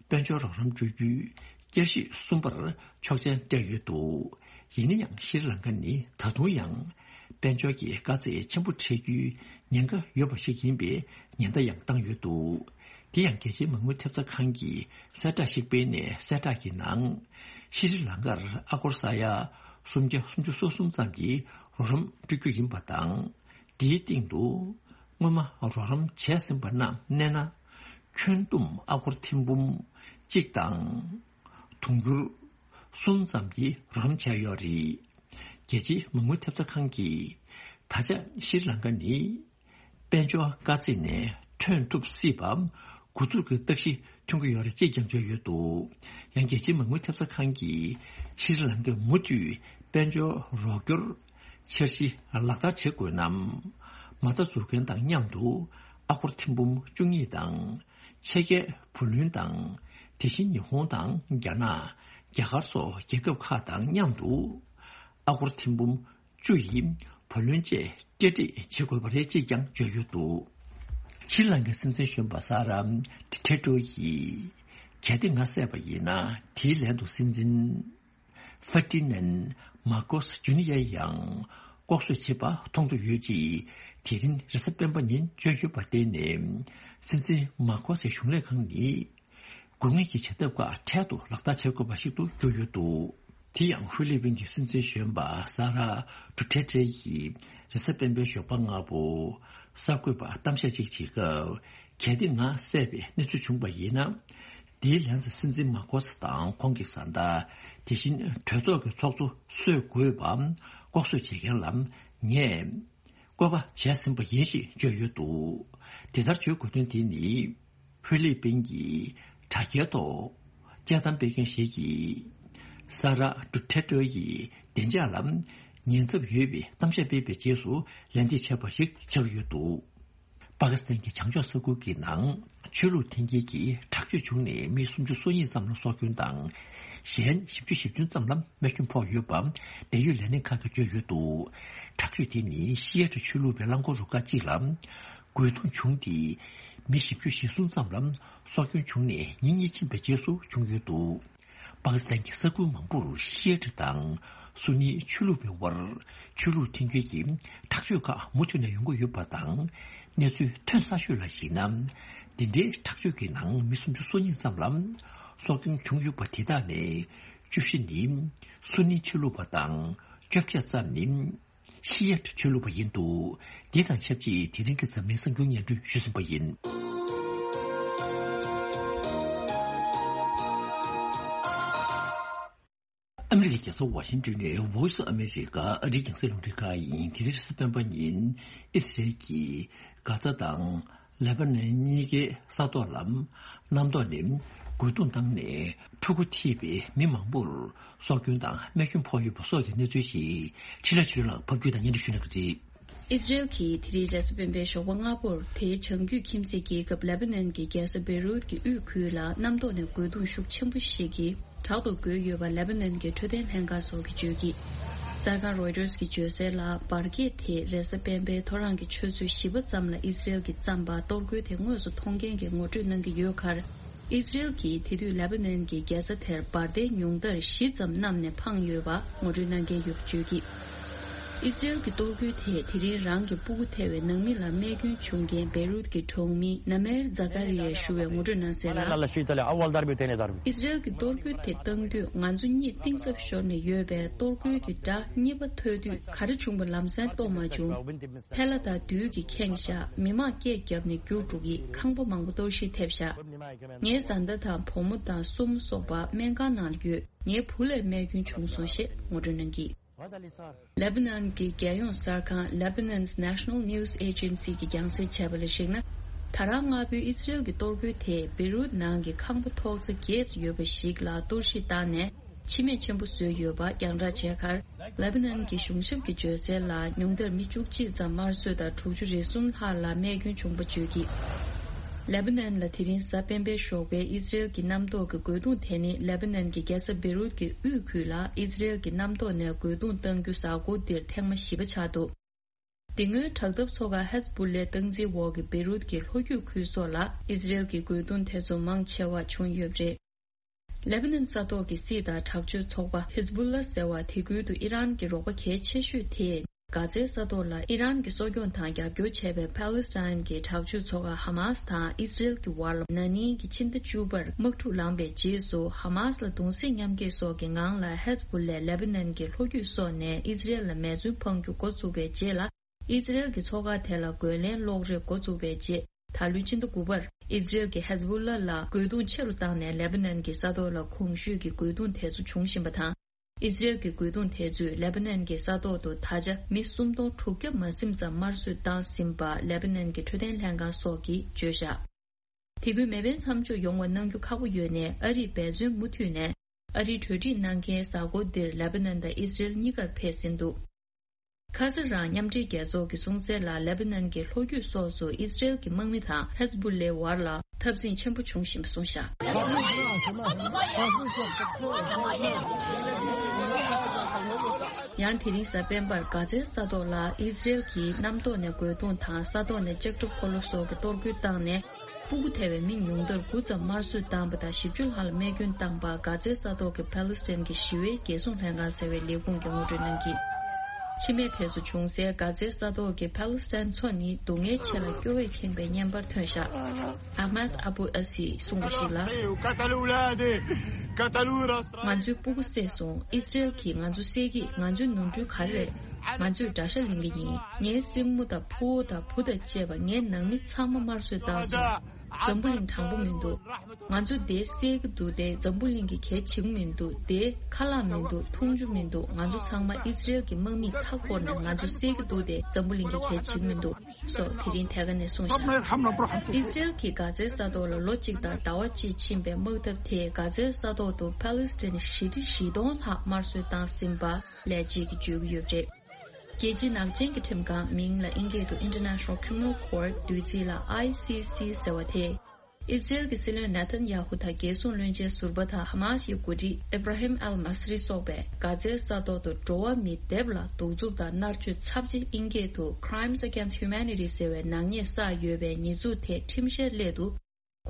དཔལ་འབྱོར་རོགས་རམ་སྤྲོད་རྒྱུའི་བསྐྱར་ཞིབ་གསུམ་པར་ཆོག་མཆན་སྤྲད་ཡོད་འདུག། ཡིན་ན་ཡང་ཤྲི་ལང་ཀ་ནི་ད་དུང་ཡང་དཔལ་འབྱོར་གྱི་དཀའ་ཚེགས་ཆེན་པོ་འཕྲད་རྒྱུའི་ཉེན་ཁ་ཡོད་པ་ཞིག་ཡིན་པའི་ཉེན་བརྡ་ཡང་བཏང་ཡོད་འདུག། དེ་ཡང་རྒྱལ་སྤྱིའི་མ་དངུལ་ཐེབས་རྩ་ཁང་གིས་གསལ་བསྒྲགས་ཤིག་སྤེལ་ནས་གསལ་བསྒྲགས་ཀྱི་ནང་། ཤྲི་ལང་ཀར་ཨ་སྒོར་ས་ཡ་སུམ་བརྒྱ་སུམ་ཅུ་སོ་གསུམ་ཙམ་གྱི་རོགས་རམ་སྤྲོད་རྒྱུ་ཡིན་པ་དང་། དེའི་སྟེང་དུ་སྔོན་མ་རོགས་རམ་བྱས་ཟིན་པ་རྣམས་བསྣན་ན། ཁྱོན་བསྡོམས་ཨ་སྒོར་ཐེར་འབུམ་གཅིག་དང་དུང་ཕྱུར་གསུམ་ཙམ་གྱི་རོགས་རམ་བྱས་ཡོད་རེད། རྒྱལ་སྤྱིའི་མ་དངུལ་ཐེབས་རྩ་ཁང་གིས་ད་ཆ་ཤྲི་ལང་ཀ་ནི་དཔལ་འབྱོར་དཀའ་ཚེགས་ནས་ཐོན་ཐུབ་སྲིད་པ་འགོ་འཛུགས་ཀྱི་རྟགས་གཞི་ཐོན་གྱི་ཡོད་རེད་ཅེས་ཀྱང་བརྗོད་ཡོད་འདུག། ཡང་རྒྱལ་སྤྱིའི་མ་དངུལ་ཐེབས་རྩ་ཁང་གིས་ཤྲི་ལང་ཀས་མུ་མཐུད་དཔལ་འབྱོར་རོགས་སྐྱོར་འཆར་གཞི་ལག་བསྟར་བྱེད་དགོས་ན། མ་རྩ་འཛུགས་མཁན་དང་མཉམ་དུ་ཨ་སྒོར་ཐེར་འབུམ་བཅུ་གཉིས་དང་། ཕྱི་རྒྱལ་བུ་ལོན་དང་། དེ་བཞིན་ཉི་ཧོང་དང་རྒྱ་ནག་རྒྱ་གར་སོགས་རྒྱལ་ཁབ་ཁག་དང་མཉམ་དུ་ཨ་སྒོར་ཐེར་འབུམ་བཅུ་ཡི་བུ་ལོན་བཅས་བསྐྱར་སྒྲིག་བྱེད་དགོས་པ་རེད་ཅེས་ཀྱང་བརྗོད་ཡོད་འདུག། ཤྲི་ལང་ཀའི་སྲིད་འཛིན་གཞོན་པ་ས་ར་ཏི་ཐེ་ཏྲོ་ཡིས་གལ་ཏེ་ང་བསད་པ་ཡིན་ན། དེའི་ལན་དུ་སྲིད་འཛིན་ཧྥར་ཏི་ནན་མར་ཀོས་ཇུ་ནི་ཡར་ཡང་ལྐོག་གསོད་བྱེད་པ་མཐོང་དུ་ཡོད་ཅེས་དེ་རིང་རེས་གཟའ་སྤེན་པ་ཉིན་བརྗོད་ཡོད་པར་བརྟེན་ནས། སྲིད་འཛིན་མར་ཀོས་ཀྱི་གཞུང་ལས་ཁང་ནི། དགོས་ངེས་ཀྱི་བྱ་ཐབས་ཁག་འཕྲལ་དུ་ལག་བསྟར་བྱེད་དགོས་པ་ཞིག་ཏུ་གྱུར་ཡོད་འདུག། དེ་ཡང་ཧྥི་ལི་པིན་གྱི་སྲིད་འཛིན་གཞོན་པ་ས་ར་ཏུ་ཐེ་ཏྲེ་ཡིས་རེས་གཟའ་སྤེན་པའི་ཞོགས་པ་སྔ་པོ་གསར་འགོད་པར་གཏམ་བཤད་ཅིག་བྱེད་སྐབས། གལ་ཏེ་ང་བསད་པའི་གནས་ཚུལ་བྱུང་བ་ཡིན་ན། དེའི་ལན་དུ་སྲིད་འཛིན་མཱ་ཀོ་སི་དང་ཁོང་གི་བཟའ་ཟླ། དེ་བཞིན་གྲོས་ཚོགས་ཀྱི་ཚོགས་གཙོ་གསོད་དགོས་པ་ལྐོག་གསོད་བྱེད་མཁན་ལ་ངས་བཀོད་པ་བྱས་ཟིན་པ་ཡིན་ཞེས་བརྗོད་ཡོད་འདུག་དེ་ལྟར་བརྗོད་དགོས་དོན་དེ་ནི། ཧྥི་ལི་པིན་གྱི་དྲ་རྒྱའི་ཐོག་དཔྱད་གཏམ་སྤེལ་མཁན་ཞིག་གིས། ས་ར་ཌུ་ཐེ་ཏྲེ་ཡི་བདེ་འཇགས་ལ་ཉེན་ཚབས་ཡོད་པའི་གཏམ་བཤད་སྤེལ་བའི་རྗེས་སུ་ལན་འདེབས་བྱས་པ་ཞིག་ཆགས་ཡོད་འདུག་པ་ཀི་སི་ཐན་གྱི་བྱང་ཕྱོགས་ས་ཁུལ་གྱི་ནང་ཆོས་ལུགས་འཐེན་འཁྱེར་གྱི་དྲག་སྤྱོད་བྱུང་ནས་མི་སུམ་ཅུ་སོ་གཉིས་ཙམ་ལ་སྲོག་སྐྱོན་དང་། གཞན་བཞི་བཅུ་ཞེ་བདུན་ཙམ་ལ་རྨས་སྐྱོན་ཕོག་ཡོད་པ་འབྲེལ་ཡོད་ལས་སྣེ་ཁག་གིས་བརྗོད་ཡོད་འདུག་དྲག་སྤྱོད་དེ་ནི་ཤི་ཡ་ཏི་ཆོས་ལུགས་པའི་རླངས་འཁོར་རུ་ཁག་ཅིག་ལ་རྒོལ་རྡུང་བྱུང་སྟེ། མི་བཞི་བཅུ་ཞེ་གསུམ་ཙམ་ལ་སྲོག་སྐྱོན་བྱུང་ནས་ཉིན་གཉིས་ཕྱིན་པའི་རྗེས་སུ་བྱུང་ཡོད་འདུག་པ་ཀི་སི་ཐན་གྱི་ས་ཁུལ་མང་པོར་ཤི་ཡ་ཏི་དང་སུ་ནི་ཆོས་ལུགས་པའི་དབར་ཆོས་ལུགས་མཐུན་འགྱུར་གྱི་དྲག་སྤྱོད་ཁག་མུ་མཐུད་ནས་ཡོང་གི་ཡོད་པ་དང་། གནས་ཚུལ་ཐོན་གསར་ཤོས་ལ་གཞིགས་ན། འདི་འདྲའི་དྲག་སྤྱོད་ཀྱི་ནང་མི་སུམ་ཅུ་སོ་གཉིས་ཙམ་ལ་སྲོག་སྐྱོན་བྱུང་ཡོད་པ་དེ་དག་ནས་བཅུ་བཞི་ནི་སུ་ནི་ཆོས་ལུགས་པ་དང་བཅོ་བརྒྱད་ཙམ་ནི། ཤི་ཡ་ཏི་ཆོས་ལུགས་པ་ཡིན་འདུག་འདི་དང་ཆབས་ཅིག་དེ་རིང་གི་འཛམ་གླིང་གསར་འགྱུར་སྙན་སྒྲོན་ཞུས་ཟིན་པ་ཡིན། ཨ་མི་རི་ཀའི་རྒྱལ་ས་ཝ་ཤིང་ཏོན་ནས་Voice of America ཨ་རིའི་རྒྱང་སྲིང་རླུང་འཕྲིན་ཁང་ཡིན། དེ་རིང་རེས་གཟའ་སྤེན་པ་ཉིན་ཨི་སི་རེལ་གྱིས་གྷ་ཛ་དང་ལེ་པ་ནན་གཉིས་ཀའི་ས་ཐོག་ལ་གནམ་ཐོག་ནས་རྒོལ་རྡུང་བཏང་ནས་ཕྲུ་གུ་ཐེ་བའི་མི་མང་པོར་སྲོག་སྐྱོན་དང་རྨས་སྐྱོན་ཕོག་ཡོད་པ་སོགས་ཀྱི་གནས་ཚུལ་ཞིག་འཕྲིན་ལས་ཆོས་ལགས་ཕབ་སྒྱུར་དང་སྙན་སྒྲོན་ཞུ་གནང་གི་རེད། ཨི་སི་རེལ་གྱིས་དེ་རིང་རེས་གཟའ་སྤེན་པའི་ཞོགས་པ་སྔ་པོར་དེའི་བྱང་རྒྱུད་ཁྱིམ་མཚེས་རྒྱལ་ཁབ་ལེ་པ་ནན་གྱི་རྒྱལ་ས་བེ་རུད་ཀྱི་དབུས་ཁུལ་ལ་གནམ་ཐོག་ནས་རྒོལ་རྡུང་ཤུགས་ཆེན་པོ་ཞིག་གིས་དྲག་ཏུ་རྒོལ་ཡོད་པ་ལེ་པ་ནན་གྱི་འཕྲོད་བསྟེན་ལྷན་ཁང་སོགས་ཀྱིས་བརྗོད་ཀྱིས། གསར་ཁང་Reuters གྱིས་བརྗོད་གསལ་ལ། འབར་གས་དེས་རེས་གཟའ་སྤེན་པའི་ཐོ་རངས་ཀྱི་ཆུ་ཚོད་བཞི་པ་ཙམ་ལ་ཨི་སི་རེལ་གྱིས་བརྩམས་པ་གཏོར་རྒོལ་དེ་དངོས་སུ་མཐོང་མཁན་གྱིས་ངོ་སྤྲོད་གནང་གི་ཡོད་ཁར། ཨི་སི་རེལ་གྱིས་དེ་དུས་ལེ་པ་ནན་གྱི་རྒྱལ་ས་དེར་འབར་མདེལ་ཉུང་མཐར་བཞི་ཙམ་བསྣམས་ནས་འཕངས་ཡོད་པ་ངོ་སྤྲོད་གནང་མཁན་ཡོད་པ་བརྗོད་ཀྱིས། ཨི་སི་རེལ་གྱི་གཏོར་རྒོལ་དེས་དེ་རིང་རང་གི་སྤུ་གུ་ཐེ་བའི་ནང་མི་ལ་རྨས་སྐྱོན་བྱུང་མཁན་བེ་རུད་ཀྱི་གྲོང་མི་ནཱ་མེར་ཛ་ཀ་རི་ཡས་ཞུ་བའི་ངོ་སྤྲོད་གནང་གསལ་ལ། ཨི་སི་རེལ་གྱིས་གཏོར་རྒོལ་དེ་བཏང་དུས་ང་ཚོ་གཉིད་གཏིང་ཟབ་ཤོར་ནས་ཡོད་པས། གཏོར་རྒོལ་གྱི་སྒྲ་གཉིས་པ་ཐོས་དུས་ག་རེ་བྱུང་བ་ལམ་སེང་རྟོགས་མ་བྱུང་། ཐལ་བ་དང་རྡུལ་གྱིས་ཁེངས་ཤག་མི་མང་སྐད་བརྒྱབ་ནས་རྒྱུགས་འགྲོ་གི། ཁང་པ་མང་པོ་གཏོར་བཤིག་ཐེབས་ཤག་ངའི་བཟའ་ཟླ་དང་བུ་མོ་དང་སྲུ་མོ་སོགས་པ་སྨན་ཁང་ནང་ལ་ཡོད། ངའི་བུ་ལ་རྨས་སྐྱོན་བྱུང་སོང་ཞེས་ངོ་སྤྲོད་གནང་གིས། ལེ་པ་ནན་གྱི་རྒྱལ་ཡོངས་གསར་ཁང་Lebanon's National News Agency གྱིས་རྒྱང་སྲིང་བྱས་པ་ལ་གཞིགས་ན། ད་རང་སྔ་པོའི་ཨི་སི་རེལ་གྱི་གཏོར་རྒོལ་དེས་བེ་རུད་ནང་གི་ཁང་པ་ཐོག་ཚད་བརྒྱད་ཙམ་ཡོད་པ་ཞིག་ལ་གཏོར་བཤིག་བཏང་ནས། འཆི་རྨས་ཆེན་པོ་བཟོས་ཡོད་པ་རྒྱང་བསྒྲགས་བྱས་ཁར། ལེ་པ་ནན་གྱི་གཞུང་ཞབས་ཀྱིས་བརྗོད་གསལ་ལ། ཉུང་མཐར་མི་བཅུ་གཅིག་ཙམ་དམར་གསོད་དང་། དྲུག་ཅུ་རེ་གསུམ་ལྷག་ལ་རྨས་སྐྱོན་བྱུང་བ་བརྗོད་ཀྱིས། ལེ་པ་ནན་ལ་དེ་རིང་གཟའ་སྤེན་པའི་ཞོགས་པའི་ཨི་སི་རེལ་གྱི་གནམ་ཐོག་གི་རྒོལ་རྡུང་དེ་ནི་ལེ་པ་ནན་གྱི་རྒྱལ་ས་བེ་རུད་ཀྱི་དབུས་ཁུལ་ལ་ཨི་སི་རེལ་གྱི་གནམ་ཐོག་ནས་རྒོལ་རྡུང་བཏང་རྒྱུ་གཟའ་འཁོར་འདིར་ཐེངས་མ་བཞི་པ་ཆགས་འདུག་དེ་སྔོན་དྲག་འཐབ་ཚོགས་ཁག་ཧེ་ཛ་བུ་ལའི་སྟངས་འཛིན་འོག་གི་བེ་རུད་ཀྱི་ལྷོ་རྒྱུད་ཁུལ་སོགས་ལ་ཨི་སི་རེལ་གྱི་རྒོལ་རྡུང་དེ་ཚོ་མང་ཆེ་བ་བྱུང་ཡོད་པ་རེད། ལེ་པ་ནན་ས་ཐོག་གི་སྲིད་དང་དྲག་སྤྱོད་ཚོགས་པ་ཧེ་ཛ་བུ་ལ་ཟེར་བ་དེ་ཁུལ་དུ་ཨི་རན་གྱི་རོགས་པ་གལ་ཆེ་ཤོས་དེས་གྷ་ཛའི་ས་ཐོག་ལ་ཨི་རན་གྱིས་གསོ་སྐྱོང་དང་རྒྱབ་སྐྱོར་བྱས་པའི་ཕཱ་ལི་སི་ཐན་གྱི་དྲག་སྤྱོད་ཚོགས་པ་ཧ་མཱ་སི་དང་ཨི་སི་རེལ་གྱི་བར་ལ་ན་ནིང་གི་ཕྱི་ཟླ་བཅུ་པར་དམག་འཁྲུག་ལངས་པའི་རྗེས་སུ། ཧ་མཱ་སི་ལ་གདུང་སེམས་མཉམ་སྐྱེད་སོགས་ཀྱི་ངང་ལ་ཧེ་ཛ་བུ་ལའི་ལེ་པ་ནན་གྱི་ལྷོ་རྒྱུད་སོགས་ནས་ཨི་སི་རེལ་ལ་མེ་མཚོན་འཕང་རྒྱུ་འགོ་བཙུགས་པའི་རྗེས་ལ། ཨི་སི་རེལ་གྱི་ཚོགས་ཁག་དེ་ལ་རྒོལ་ལན་སློག་རེས་འགོ་བཙུགས་པའི་རྗེས། ད་ལོའི་ཕྱི་ཟླ་དགུ་པར་ཨི་སི་རེལ་གྱིས་ཧེ་ཛ་བུ་ལ་ལ་རྒོལ་རྡུང་ཆེ་རུ་བཏང་ནས། ལེ་པ་ནན་གྱི་ས་ཐོག་ལ་གོང་ཞུས་ཀྱི་རྒོལ་རྡུང་དེ་ཚོ་འབྱུང་བཞིན་པ་དང་། ཨི་སི་རེལ་གྱི་རྒོལ་རྡུང་དེ་ཚོས་ལེ་པ་ནན་གྱི་ས་ཐོག་ཏུ་ད་ཆ་མི་སུམ་སྟོང་དྲུག་བརྒྱ་མ་ཟིན་ཙམ་དམར་གསོད་བཏང་ཟིན་པ་ལེ་པ་ནན་གྱི་འཕྲོད་བསྟེན་ལྷན་ཁང་སོགས་ཀྱིས་བརྗོད་བཞག་དེ་ཁུལ་མེ་འཕེན་མཚམས་འཇོག་ཡོང་བ་གནང་རྒྱུ་ཁག་པོ་ཡོད་ནས། ཨ་རིས་འབད་བརྩོན་མུ་མཐུད་ནས་ཨ་རིའི་གྲོས་འགྲིག་གནང་མཁན་གཟའ་འཁོར་འདིར་ལེ་པ་ནན་དང་ཨི་སི་རེལ་གཉིས་ཀར་ཕེབས་ཟིན་འདུག་ཁ་སང་རང་མཉམ་འབྲེལ་རྒྱལ་ཚོགས་ཀྱིས་གསུངས་གསལ་ལ། ལེ་པ་ནན་གྱི་ལྷོ་རྒྱུད་སོགས་སུ་ཨི་སི་རེལ་གྱི་དམག་མི་དང་ཧེ་ཛ་བུ་ལའི་བར་ལ་འཐབ་འཛིང་ཆེན་པོ་བྱུང་བཞིན་པ་གསུངས་བཞག་ཡང་དེ་རིང་གཟའ་སྤེན་པར་གྷ་ཛའི་ས་ཐོག་ལ་ཨི་སི་རེལ་གྱིས་གནམ་ཐོག་ནས་རྒོལ་རྡུང་དང་ས་ཐོག་ནས་ལྕགས་ཁྲབ་འཁོར་ལོ་སོགས་ཀྱི་གཏོར་རྒོལ་བཏང་ནས། སྤུ་གུ་ཐེ་བའི་མི་ཉུང་མཐར་དགུ་ཙམ་དམར་གསོད་བཏང་པ་དང་། བཞི་བཅུ་ལྷག་ལ་རྨས་སྐྱོན་བཏང་པ། གྷ་ཛའི་ས་ཐོག་གི་ཕཱ་ལི་སི་ཐན་གྱི་ཞི་བའི་རྒྱལ་སྲུང་ལྷན་ཁང་ཟེར་བའི་ལས་ཁུངས་ཀྱིས་ངོ་སྤྲོད་གནང་གིས། འཆི་རྨས་དེ་ཚོ་བྱུང་སའི་གྷ་ཛའི་ས་ཐོག་གི་ཕཱ་ལི་སི་ཐན་མཚོ་ནི་སྡུག་བསྔལ་ཆེ་ལ་སྐྱོ་བས་ཁེངས་པའི་བརྙན་པར་ཐོན་བཞག་ཨ་མད་ཨ་བུ་ཨ་སིས་གསུངས་པ་ཞིག་ལ། ང་ཚོའི་སྤུ་གུ་བསད་སོང་། ཨི་སི་རེལ་གྱིས་ང་ཚོ་བསད་ཀྱིས། ང་ཚོའི་ནོར་འཁྲུལ་ག་རེ་རེད། ང་ཚོས་དགྲ་ཤ་ལེན་གྱི་ཡིན། ངའི་སྲིང་མོ་དང་ཕུ་བོ་དང་བུ་དང་བཅས་པ། ངའི་ནང་མི་ཚང་མ་དམར་གསོད་བཏང་སོང་། འཛམ་བུ་གླིང་དྲང་པོ་མི་འདུག་ང་ཚོ་དེ་བསད་ཀྱི་འདུག་དེ་འཛམ་བུ་གླིང་གི་གལ་ཆེ་གི་མི་འདུག་དེ་ཁ་ལག་མི་འདུག་འཐུང་རྒྱུ་མི་འདུག་ང་ཚོ་ཚང་མ་ཨི་ཛི་རེལ་གྱི་དམག་མིས་མཐའ་བསྐོར་ནས་ང་ཚོ་བསད་ཀྱི་འདུག་དེ་འཛམ་བུ་གླིང་གི་གལ་ཆེ་གི་མི་འདུག་སོགས་དེ་རིང་ཐད་ཀ་ནས་གསུངས་ཤག་ཨི་ཛི་རེལ་གྱིས་གྷ་ཛའི་ས་ཐོག་ལ་ལོ་གཅིག་དང་ཟླ་བ་གཅིག་ཕྱིན་པའི་དམག་འཐབ་དེས་གྷ་ཛའི་ས་ཐོག་ཏུ་ཕཱ་ལི་སི་ཐན་བཞི་ཁྲི་བཞི་སྟོང་ལྷག་དམར་གསོད་བཏང་ཟིན་པ་ལས་བྱེད་ཀྱིས་བརྗོད་ཀྱི་ཡོད་པ་རེད། རྒྱལ་སྤྱིའི་ནག་ཅན་གྱི་ཁྲིམས་ཁང་མིང་ལ་ཨིན་སྐད་དུ་International Criminal Court བསྡུས་ཚིག་ལ་ཨའི་སི་སི་ཟེར་བ་དེས། ཨི་ཛི་རེལ་གྱི་སྲིད་བློན་ནེ་ཐན་ཡ་ཧུ་དང་རྒྱལ་སྲུང་བློན་ཆེན་ཟུར་པ་དང་ཧ་མཱ་སི་ཡི་འགོ་ཁྲིད་ཨི་བྷ་ར་ཧིམ་ཨལ་མ་སི་རི་སོགས་པས་གྷ་ཛའི་ས་ཐོག་ཏུ་འགྲོ་བ་མི་སྡེབ་ལ་གདུག་རྩུབ་དང་མནར་གཅོད་ཚབས་ཆེ་ཨིན་སྐད་དུ་Crimes Against Humanity ཟེར་བའི་ནག་ཉེས་བསགས་ཡོད་པའི་ཉེས་འཛུགས་ཐད་ཁྲིམས་བཤེར་སླད་དུ།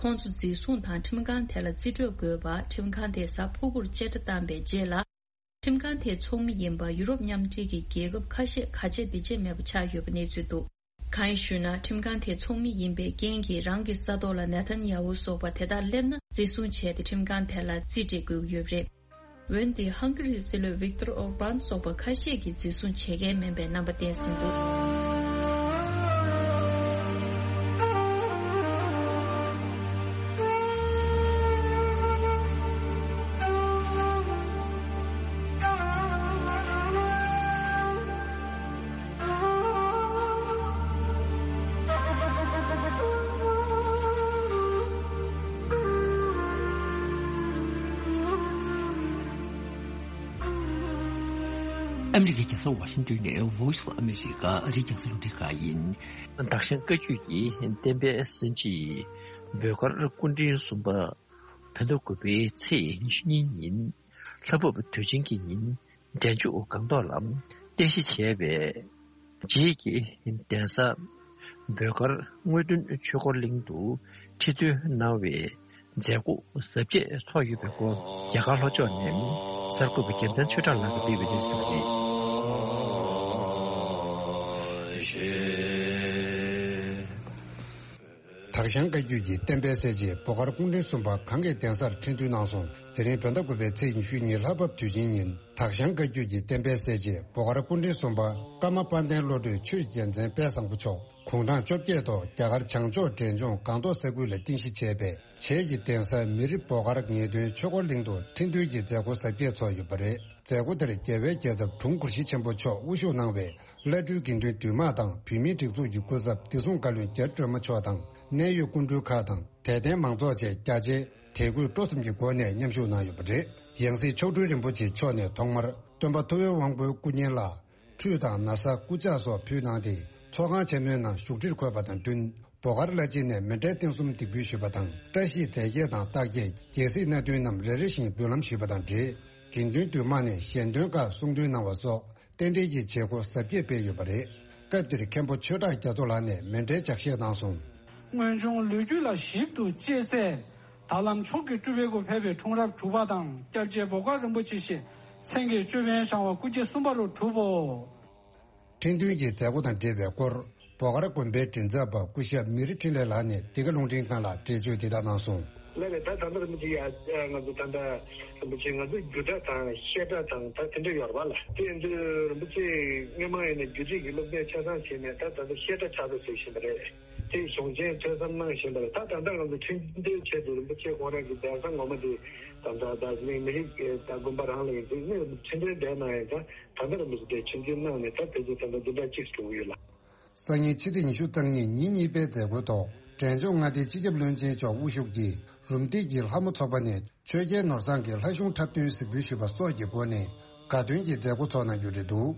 ཁོང་ཚོ་འཛིན་བཟུང་དང་ཁྲིམས་ཁང་དེ་ལ་རྩིས་སྤྲོད་དགོས་པ་ཁྲིམས་ཁང་དེས་གཟའ་ཕུར་བུར་བཅད་ཁྲ་བཏང་པའི་རྗེས་ལ། ཁྲིམས་ཁང་དེའི་ཚོགས་མི་ཡིན་པ་ཡུ་རོབ་མཉམ་འབྲེལ་གྱི་རྒྱལ་ཁབ་ཁ་ཤས་ག་ཆད་འདི་ཆད་མེད་པ་ཆགས་ཡོད་པ་གནས་ཚུལ་འདུག་གང་ཡིན་ཞུས་ན། ཁྲིམས་ཁང་དེའི་ཚོགས་མི་ཡིན་པའི་རྐྱེན་གྱིས་རང་གི་ས་ཐོག་ལ་ནེ་ཐན་ཡ་ཧུ་སོགས་པ་དེ་དག་སླེབས་ན་འཛིན་བཟུང་བྱས་ཏེ་ཁྲིམས་ཁང་དེ་ལ་རྩིས་སྤྲད་དགོས་ཀྱི་ཡོད་པ་རེད། འོན་ཏེ་ཧང་གྷི་རིའི་སྲིད་བློན་ཝིག་ཏོར་ཨོར་བྷན་སོགས་པ་ཁ་ཤས་ཀྱིས་འཛིན་བཟུང་བྱེད་མཁན་མིན་པའི་རྣམ་པ་བསྟན་ཟིན་འདུག་ཨ་མི་རི་ཀའི་རྒྱལ་ས་ཝ་ཤིང་ཏོན་ནས་Voice of America ཨ་རིའི་རྒྱང་སྲིང་རླུང་འཕྲིན་ཁང་ཡིན། དྭགས་ཤང་བཀའ་བརྒྱུད་ཀྱི་བསྟན་པའི་གསན་བྱེད་བོད་སྒར་སྐུ་ཕྲེང་གསུམ་པ་བོད་ཟླ་དགུ་པའི་ཚེས་ཉི་ཤུ་གཉིས་ཉིན་ལྷ་བབས་དུས་ཆེན་གྱི་ཉིན་འབྲས་ལྗོངས་སྒང་ཏོག་ལ་རྟེན་གཞི་བྱས་པའི་རྗེས་ཀྱི་གདན་ས་བོད་སྒར་དངོས་སྟོན་ཆོས་འཁོར་གླིང་དུ་ཁྲི་འདོན་གནང་བའི་མཛད་སྒོ་གཟབ་རྒྱས་ཚོགས་ཡོད་པའི་སྐོར་རྒྱ་གར་ལྷོ་ཕྱོགས་ནས་གསར་འགོད་པ་རྒྱལ་མཚན་ཆོས་གྲགས་ལགས་ཀྱིས་སྤེལ་བའི་གནས་ཚུལ་རེད། དྭགས་ཤང་བཀའ་བརྒྱུད་ཀྱི་བསྟན་པའི་གསལ་བྱེད་བོད་སྒར་སྐུ་ཕྲེང་གསུམ་པ་གང་གི་གདན་སར་ཁྲི་འདོན་གནང་སོང་། དེ་རིང་བོད་ཟླ་དགུ་པའི་ཚེས་ཉི་ཤུ་གཉིས་ལྷ་བབས་དུས་ཆེན་ཉིན་དྭགས་ཤང་བཀའ་བརྒྱུད་ཀྱི་བསྟན་པའི་གསལ་བྱེད་བོད་སྒར་སྐུ་ཕྲེང་གསུམ་པ་ཀརྨ་དཔལ་ལྡན་བློ་གྲོས་ཆོས་ཀྱི་རྒྱལ་མཚན་དཔལ་བཟང་པོ་མཆོག་དགུང་གྲངས་བཅོ་བརྒྱད་ཐོག་རྒྱ་གར་བྱང་ཕྱོགས་འབྲས་ལྗོངས་སྒང་ཏོག་ས་ཁུལ་ལ་རྟེན་གཞི་བྱས་པའི་བྱེས་ཀྱི་གདན་ས་མི་རི་བོད་སྒར་ངེས་དོན་ཆོས་འཁོར་གླིང་དུ་ཁྲི་འདོན་གྱི་མཛད་སྒོ་གཟབ་རྒྱས་ཚོགས་ཡོད་པ་རེད། མཛད་སྒོ་དེར་རྒྱལ་བའི་རྒྱལ་ཚབ་དྲུང་གུར་བཞི་ཆེན་པོ་མཆོག་དབུ་བཞུགས་གནང་བའི་བླ་སྤྲུལ་དགེ་འདུན་འདུས་མང་དང་བོད་མིའི་སྒྲིག་འཛུགས་ཀྱི་སྐུ་ཚབ་བདེ་སྲུང་བཀའ་བློན་རྒྱ་སྒྲོལ་མ་མཆོག་དང་གནད་ཡོད་སྐུ་མགྲོན་ཁག་དང་དད་ལྡན་མང་ཚོགས་བཅས་རྒྱ་ཆེའི་དད་གུས་སྤྲོ་སེམས་ཀྱི་སྒོ་ནས་མཉམ་ཞུགས་གནང་ཡོད་པ་རེད། ཡང་སྲིད་མཆོག་སྤྲུལ་རིན་པོ་ཆེ་མཆོག་ནས་ཐོག་མར་སྟོན་པ་ཐུབ་པའི་དབང་པོའི་སྐུ་བརྙན་ལ་ཁྲུས་དང་ན་བཟའ་སྐུ་ཕྱག་སོགས་ཕུལ་གནང་སྟེ་ཚོགས་ཁང་ཆེན་མོའི་ནང་བཞུགས་ཁྲིར་འཁོད་པ་དང་བསྟུན་བོད་སྒར་བླ་སྤྱི་ནས་མཎྜལ་རྟེན་གསུམ་འདེགས་འབུལ་ཞུས་པ་དང་བཀྲ་ཤིས་རྫས་བརྒྱད་དང་རྟགས་བརྒྱད་རྒྱལ་སྲིད་སྣ་བདུན་རྣམས་རེ་རེ་བཞིན་འབུལ་ལམ་ཞུས་པ་དང་འབྲེལ་དགེ་འདུན་འདུས་མང་ནས་ཞལ་འདོན་ཁག་གསུང་འདོན་གནང་བ་སོགས་རྟེན་འབྲེལ་གྱི་བྱེད་སྒོ་གཟབ་རྒྱས་སྤེལ་ཡོད་པ་རེད། སྐབས་དེར་མཁན་པོ་ཆོས་གྲགས་རྒྱ་མཚོ་ལགས་ནས་མཎྜལ་ལྗགས་བཤད་གནང་སོང་། སྔོན་བྱུང་ལོ་རྒྱུས་ལ་ཞིབ་ཏུ་དཔྱད་ཚེ། ད་ལམ་མཆོག་གི་སྤྲུལ་པའི་སྒོ་ཕེབས་པའི་འཁྲུངས་རབས་དྲུག་པ་དང་སྐྱབས་རྗེ་བོད་སྒར་རིན་པོ་ཆེ་ཞེས་མཚན་གྱི་ཅོད་པན་བཞེངས་པ་སྐུ་སྐྱེ་གསུམ་པ་རུ་གྲུབ་བོ། ཁྲི་འདོན་གྱི་མཛད་སྒོ་དང་འབྲེལ་བའི་སྐོར་བོད་སྒར་དགོན་པའི་མགྲིན་ཚབ་པ་སྐུ་ཞབས་མི་རི་འཕྲིན་ལས་ལགས་ནས་འདི་ག་རླུང་འཕྲིན་ཁང་ལ་འགྲེལ་བརྗོད་འདི་ལྟར་གནང་སོང་། ལགས་རེད། ད་ད་ལྟ་རིན་པོ་ཆེ་ཡ་ང་ཚོ་ད་ལྟ་རིན་པོ་ཆེ་ང་ཚོ་རྒྱུད་གྲྭ་དང་བཤད་གྲྭ་དང་ད་དེ་འདྲ་ཡོད་རེད་པ་ལགས། དེ་ཡིན་དུས་རིན་པོ་ཆེ་སྔོན་མ་ཡིན་ན་རྒྱུད་རིགས་ཀྱི་སློབ་ཚན་ཆ་ཚང་བྱས་ནས་ད་ད་ལྟ་བཤད་གྲྭ་ཕྱག་དཔེ་ཟེར་བཞིན་པ་རེད། དེ་གཞུང་ཆེན་ཐོས་བསམ་གནང་བཞིན་པ་རེད། ད་ད་ལྟ་ང་ཚོ་ཁྲི་འདོན་ཆེད་དུ་རིན་པོ་ཆེ་ཁོང་རང་གི་གདན་ས་ངོ་མ་དེ་ད་ལྟ་ད་གླིང་མི་རིགས་ད་དགོན་པ་རང་ལ་ཡིན་དུས་ནི་ཁྲི་འདོན་བསྡད་གནང་ཡིན་ཙང་ད་ལྟ་རིན་པོ་ཆེ་དེ་ཆུ་འཛིན་གནང་ནས་ད་དེ་ཚོ་ད་ལྟ་འཛིན་གྲྭ་གཅིག་འགྲོ་གི་ཡོད་ལགས། སང་ཉིན་ཕྱི་ཚེས་ཉི་ཤུ་རྩ་གཉིས་ཉིན་གཉིས་པའི་མཛད་སྒོའི་ཐོག་འབྲས་ལྗོངས་མངའ་སྡེའི་སྤྱི་ཁྱབ་བློན་ཆེན་མཆོག་དབུ་བཞུགས་ཀྱིས་རུམ་བཏེག་གི་ལྷ་མོ་ཚོགས་པ་ནས་ཆོས་རྒྱལ་ནོར་བཟང་གི་ལྷ་གཞུང་འཁྲབ་སྟོན་གཟིགས་འབུལ་ཞུས་པ་སོགས་ཀྱི་སྒོ་ནས་དགའ་སྟོན་གྱི་མཛད་སྒོ་ཚོགས་གནང་རྒྱུ་རེད་འདུག་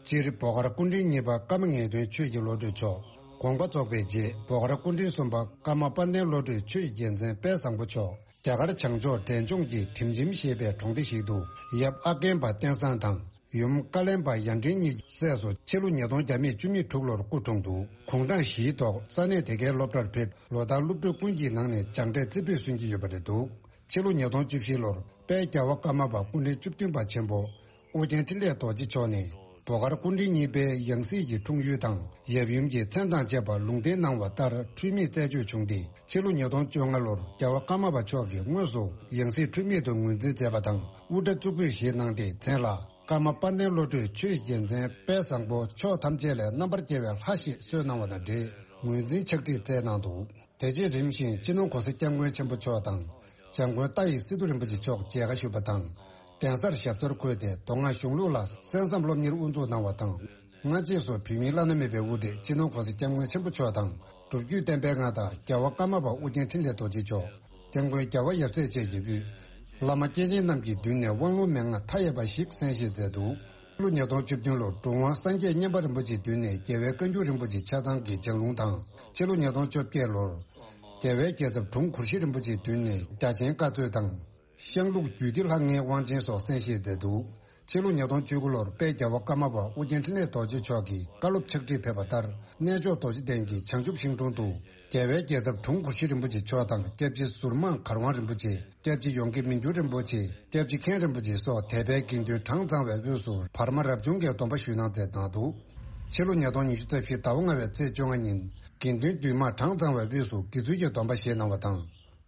སྤྱིར་བོད་སྒར་སྐུ་ཕྲེང་གཉིས་པ་ཀརྨ་ངེས་དོན་ཆོས་ཀྱི་བློ་གྲོས་མཆོག་དགོངས་པ་རྫོགས་པའི་རྗེས་བོད་སྒར་སྐུ་ཕྲེང་གསུམ་པ་ཀརྨ་དཔལ་ལྡན་བློ་གྲོས་ཆོས་ཀྱི་རྒྱལ་མཚན་དཔལ་བཟང་པོ་མཆོག་རྒྱ་གར་བྱང་ཕྱོགས་འབྲས་ལྗོངས་ཀྱི་དིམ་ཆིམ་ཞེས་པའི་གྲོང་སྡེ་ཞིག་ཏུ་ཡབ་ཨ་རྒན་པ་བསྟན་བཟང་དང་། ཡུམ་ཀ་ལན་པ་ཡར་འདྲེན་གཉིས་ཀྱི་སྲས་སུ་ཕྱི་ལོ་ཉིས་སྟོང་བརྒྱ་མེད་བཅུ་མེད་དྲུག་ལོར་སྐུ་འཁྲུངས་འདུག་གུང་གྲངས་བཞིའི་ཐོག་ས་གནས་དེ་གའི་སློབ་གྲྭར་ཕེབས་ལོ་ལྟར་སློབ་ཕྲུག་ཀུན་གྱི་ནང་ནས་སྦྱངས་འབྲས་རྩེ་ཕུད་སོན་གྱི་ཡོད་པ་རེད་འདུག་ཕྱི་ལོ་ཉིས་སྟོང་བཅུ་བཞི་ལོར་དཔལ་རྒྱལ་བ་ཀརྨ་པ་སྐུ་ཕྲེང་བཅུ་བདུན་པ་ཆེན་པོ་ཨོ་རྒྱན་འཕྲིན་ལས་རྡོ་རྗེ་མཆོག་ནས་བོད་སྒར་སྐུ་ཕྲེང་གཉིས་པའི་ཡང་སྲིད་ཀྱི་འཁྲུངས་ཡུལ་དང་ཡབ་ཡུམ་གྱི་མཚན་དང་བཅས་པ་ལུང་བསྟན་གནང་བ་ལྟར་འཁྲུལ་མེད་རྩད་གཅོད་བྱུང་སྟེ་ཕྱི་ལོ་ཉིས་སྟོང་བཅོ་ལྔ་ལོར་རྒྱལ་བ་ཀརྨ་པ་མཆོག་གིས་དངོས་སུ་ཡང་སྲིད་འཁྲུལ་མེད་དུ་ངོས་འཛིན་མཛད་པ་དང་དབུ་སྐྲ་གཙུག་ཕུད་བཞེས་གནང་སྟེ་མཚན་ལ། ཀརྨ་དཔལ་ལྡན་བློ་གྲོས་ཆོས་རྒྱལ་མཚན་དཔལ་བཟང་པོ་ཕྱོགས་ཐམས་ཅད་ལས་རྣམ་པར་རྒྱལ་བའི་ལྷ་ཞེས་གསོལ་གནང་བ་དང་འབྲེལ་ངོས་འཛིན་ཕྱག་བྲིས་བསྩལ་གནང་འདུག་དེ་རྗེས་རིམ་བཞིན་སྤྱི་ནོར་༧གོང་ས་༧སྐྱབས་མགོན་ཆེན་པོ་མཆོག་དང་།༧འཇམ་མགོན་ཏཱ་ཡི་སི་ཏུ་རིན་པོ་ཆེ་མཆོག་མཇལ་ཁ་ཞུས་པ་དང་། གདན་སར་ཞབས་སོར་འཁོད་དེ་མདོ་སྔགས་གཞུང་ལུགས་ལ་གསན་བསམ་སློབ་གཉེར་དབུ་འཛུགས་གནང་བ་དང་། སྔ་རྗེས་སུ་བོད་མིའི་བླ་ན་མེད་པའི་དབུ་ཁྲིད་སྤྱི་ནོར་༧གོང་ས་༧སྐྱབས་མགོན་ཆེན་པོ་མཆོག་དང་། སྒྲུབ་བརྒྱུད་བསྟན་པའི་མངའ་བདག་རྒྱལ་བ་ཀརྨ་པ་ཨོ་རྒྱན་འཕྲིན་ལས་རྡོ་རྗེ་མཆོག་སྐྱབས་མགོན་རྒྱལ་བ་ཡབ་སྲས་བཅས་ཀྱི་དབུས། བླ་མ་སྐྱེས་ཆེན་རྣམས་ཀྱི་མདུན་ནས་དབང་ལུང་མན་ངག་མཐའ་ཡས་པ་ཞིག་གསན་བཞེས་མཛད་འདུག་ཕྱི་ལོ་ཉིས་སྟོང་བཅུ་བདུན་ལོར་གྲུབ་དབང་སངས་རྒྱས་མཉན་པ་རིན་པོ་ཆེའི་མདུན་ནས་རྒྱལ་བའི་བཀའ་འགྱུར་རིན་པོ་ཆེ་ཆ་ཚང་གི་ལྗགས་ལུང་དང་། ཕྱི་ལོ་ཉིས་སྟོང་བཅོ་བརྒྱད་ལོར། རྒྱལ་བའི་རྒྱལ་ཚབ་དྲུང་གུར་བཞི་རིན་པོ་ཆེའི་མདུན་ནས་རྒྱ་ཆེན་བཀའ་སྩོལ་དང་། ཤངས་ལུགས་རྒྱུད་སྡེ་ལྷ་ལྔའི་དབང་ཆེན་སོགས་གསན་བཞེས་མཛད་འདུག་ཕྱི་ལོ་ཉིས་སྟོང་བཅུ་དགུ་ལོར་དཔལ་རྒྱལ་བ་ཀརྨ་པ་ཨོ་རྒྱན་འཕྲིན་ལས་རྡོ་རྗེ་མཆོག་གིས་བཀའ་སློབ་ཕྱག་བྲིས་ཕེབས་པ་ལྟར། གནས་མཆོག་རྡོ་རྗེ་གདན་གྱི་བྱང་ཆུབ་ཤིང་དྲུང་དུ། རྒྱལ་བའི་རྒྱལ་ཚབ་དྲུང་གུར་བཞི་རིན་པོ་ཆེ་མཆོག་དང་། སྐྱབས་རྗེ་ཟུར་དམངས་གར་དབང་རིན་པོ་ཆེ། སྐྱབས་རྗེ་ཡོངས་དགེ་མི་འགྱུར་རིན་པོ་ཆེ། སྐྱབས་རྗེ་མཁན་རིན་པོ་ཆེ་སོགས་དད་པའི་དགེ་འདུན་གྲངས་ཚང་བའི་དབུས་སུ་བར་མ་རབ་བྱུང་གི་སྡོམ་པ་ཞུས་གནང་མཛད་གནང་འདུག་ཕྱི་ལོ་ཉིས་སྟོང་ཉི་ཤུ་རྩ་བཞི་ཟླ་བ་ལྔ་བའི་ཚེས་བཅོ་ལྔ་ཉིན། དགེ་འདུན་འདུས་མང་གྲངས་ཚང་བའི་དབུས་སུ་དགེ་ཚུལ་གྱི་སྡོམ་པ་བཞེས་གནང་བ་དང་།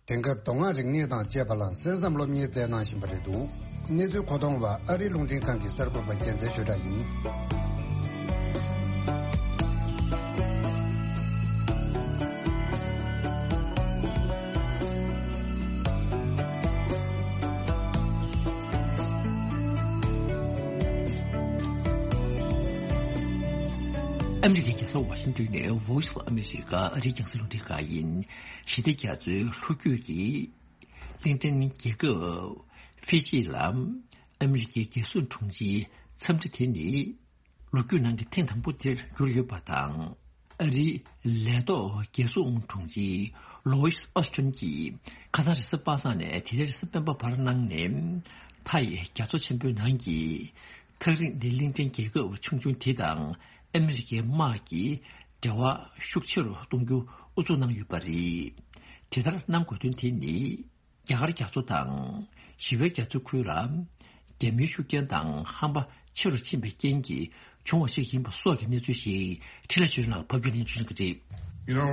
དེང་སྐབས་མདོ་སྔགས་རིག་གནས་དང་བཅས་པ་ལ་གསན་བསམ་སློབ་གཉེར་མཛད་གནང་བཞིན་པ་རེད་འདུག་གནས་ཚུལ་མཁོ་གཏོང་བ་ཨ་རིའི་རླུང་འཕྲིན་ཁང་གི་གསར་འགོད་པ་རྒྱལ་མཚན་ཆོས་གྲགས་ཡིན། ཨ་མི་རི་ཀའི་རྒྱལ་ས་ཝ་ཤིང་ཏོན་ནས་Voice of America ཨ་རིའི་རྒྱང་སྲིང་རླུང་འཕྲིན་ཁང་ཡིན། ཞི་བདེ་རྒྱ་མཚོའི་ལྷོ་རྒྱུད་ཀྱི་གླིང་ཕྲན་རྒྱལ་ཁབ་ཧྥི་ཇི་ལ་ཨ་མི་རི་ཀའི་རྒྱལ་སྲུང་དྲུང་ཆེའི་འཚམས་འདྲི་དེ་ནི། ལོ་རྒྱུས་ནང་གི་ཐེངས་དང་པོ་དེར་གྱུར་ཡོད་པ་དང་། ཨ་རིའི་ལས་ཐོག་རྒྱལ་སྲུང་དྲུང་ཆེ་ལོ་ཡིས་ཨོ་སི་ཏྲན་གྱིས་ཁ་སང་རེས་གཟའ་པ་སངས་ནས་དེ་རིང་རེས་གཟའ་སྤེན་པ་བར་གནང་ནས། མཐའ་ཡི་རྒྱ་མཚོ་ཆེན་པོའི་ནང་གི་ཐག་རིང་ནས་གླིང་ཕྲན་རྒྱལ་ཁབ་ཆུང་ཆུང་དེ་དང་ཨ་མི་རི་ཀའི་དམག་གི་འབྲེལ་བ་ཤུགས་ཆེ་རུ་གཏོང་རྒྱུ་ཨུ་ཚུགས་གནང་ཡོད་པ་རེད། དེ་ལྟར་གནང་དགོས་དོན་དེ་ནི། རྒྱ་གར་རྒྱ་མཚོ་དང་ཞི་བའི་རྒྱ་མཚོའི་ཁུལ་ལ་རྒྱ་མིའི་ཤུགས་རྐྱེན་དང་ཧམ་པ་ཆེ་རུ་ཕྱིན་པའི་རྐྱེན་གྱིས་བྱུང་བ་ཞིག་ཡིན་པ་སོགས་ཀྱི་གནས་ཚུལ་ཞིག་འཕྲིན་ལས་ཆོས་ལགས་ཕབ་སྒྱུར་ནས་འབྱོན་གྱི་རེད། You know,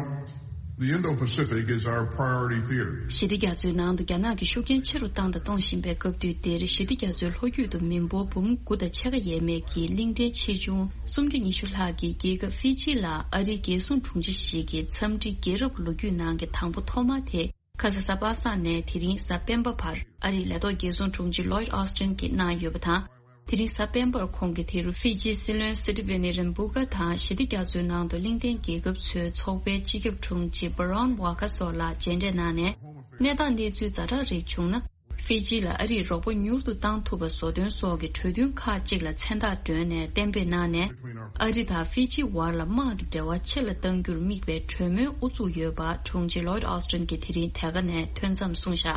the Indo-Pacific is our priority theater. ཞི་བདེ་རྒྱ་མཚོའི་ནང་དུ་རྒྱ་ནག་གི་ཤུགས་རྐྱེན་ཆེ་རུ་བཏང་དང་གཏོང་བཞིན་པའི་སྐབས་དུས་འདིར་ཞི་བདེ་རྒྱ་མཚོའི་ལྷོ་རྒྱུད་དུ་མི་འབོར་འབུམ་དགུ་དང་ཕྱེད་ཀ་ཡས་མས་ཀྱི་གླིང་ཕྲན་ཆེ་ཆུང་སུམ་བརྒྱ་ཉི་ཤུ་ལྷག་གི་རྒྱལ་ཁབ་ཧྥི་ཇི་ལ་ཨ་རིའི་རྒྱལ་སྲུང་དྲུང་ཆེ་ཞིག་གིས་འཚམས་འདྲི་རྒྱལ་རབས་ལོ་རྒྱུས་ནང་གི་དང་པོ་ཐོག་མ་དེ། ཁ་སང་གཟའ་པ་སངས་ནས་དེ་རིང་གཟའ་སྤེན་པ་བར་ཨ་རིའི་ལས་ཐོག་རྒྱལ་སྲུང་དྲུང་ཆེ་ལོའིད་ཨོ་སི་ཏྲན་གྱིས་གནང་ཡོད་པ་དང་། དེ་རིང་གཟའ་སྤེན་པར་ཁོང་གིས་དེ་རུ་ཧྥི་ཇིའི་སྲིད་བློན་སི་ཏི་བྷེ་ནི་རིམ་བུ་ཀ་དང་ཞི་བདེ་རྒྱ་མཚོའི་ནང་དུ་གླིང་ཕྲན་རྒྱལ་ཁབ་ཚོའི་ཚོགས་པའི་སྤྱི་ཁྱབ་དྲུང་ཆེ་བྷ་རོན་ཝ་ཀ་སོགས་ལ་མཇལ་འཕྲད་གནང་ནས། གནས་སྟངས་གནས་ཚུལ་ཛ་དྲག་རིགས་བྱུང་ན། ཧྥི་ཇི་ལ་ཨ་རིས་རོགས་པ་མྱུར་དུ་བཏང་ཐུབ་པ་བཟོ་དོན་སོགས་ཀྱི་གྲོས་མཐུན་ཁག་ཅིག་ལ་མཚན་རྟགས་བསྒྲོན་ནས་གཏན་འབེབས་གནང་ནས། ཨ་རི་དང་ཧྥི་ཇི་བར་ལ་དམག་གི་འབྲེལ་བ་ཆེ་ལ་གཏང་རྒྱུར་དམིགས་པའི་གྲོས་མོལ་དབུ་བཙུགས་ཡོད་པ་དྲུང་ཆེ་ལོའིད་ཨོ་སི་ཏྲན་གྱིས་དེ་རིང་དེ་ག་ནས་ཐོན་མཚམས་གསུངས་བཞག་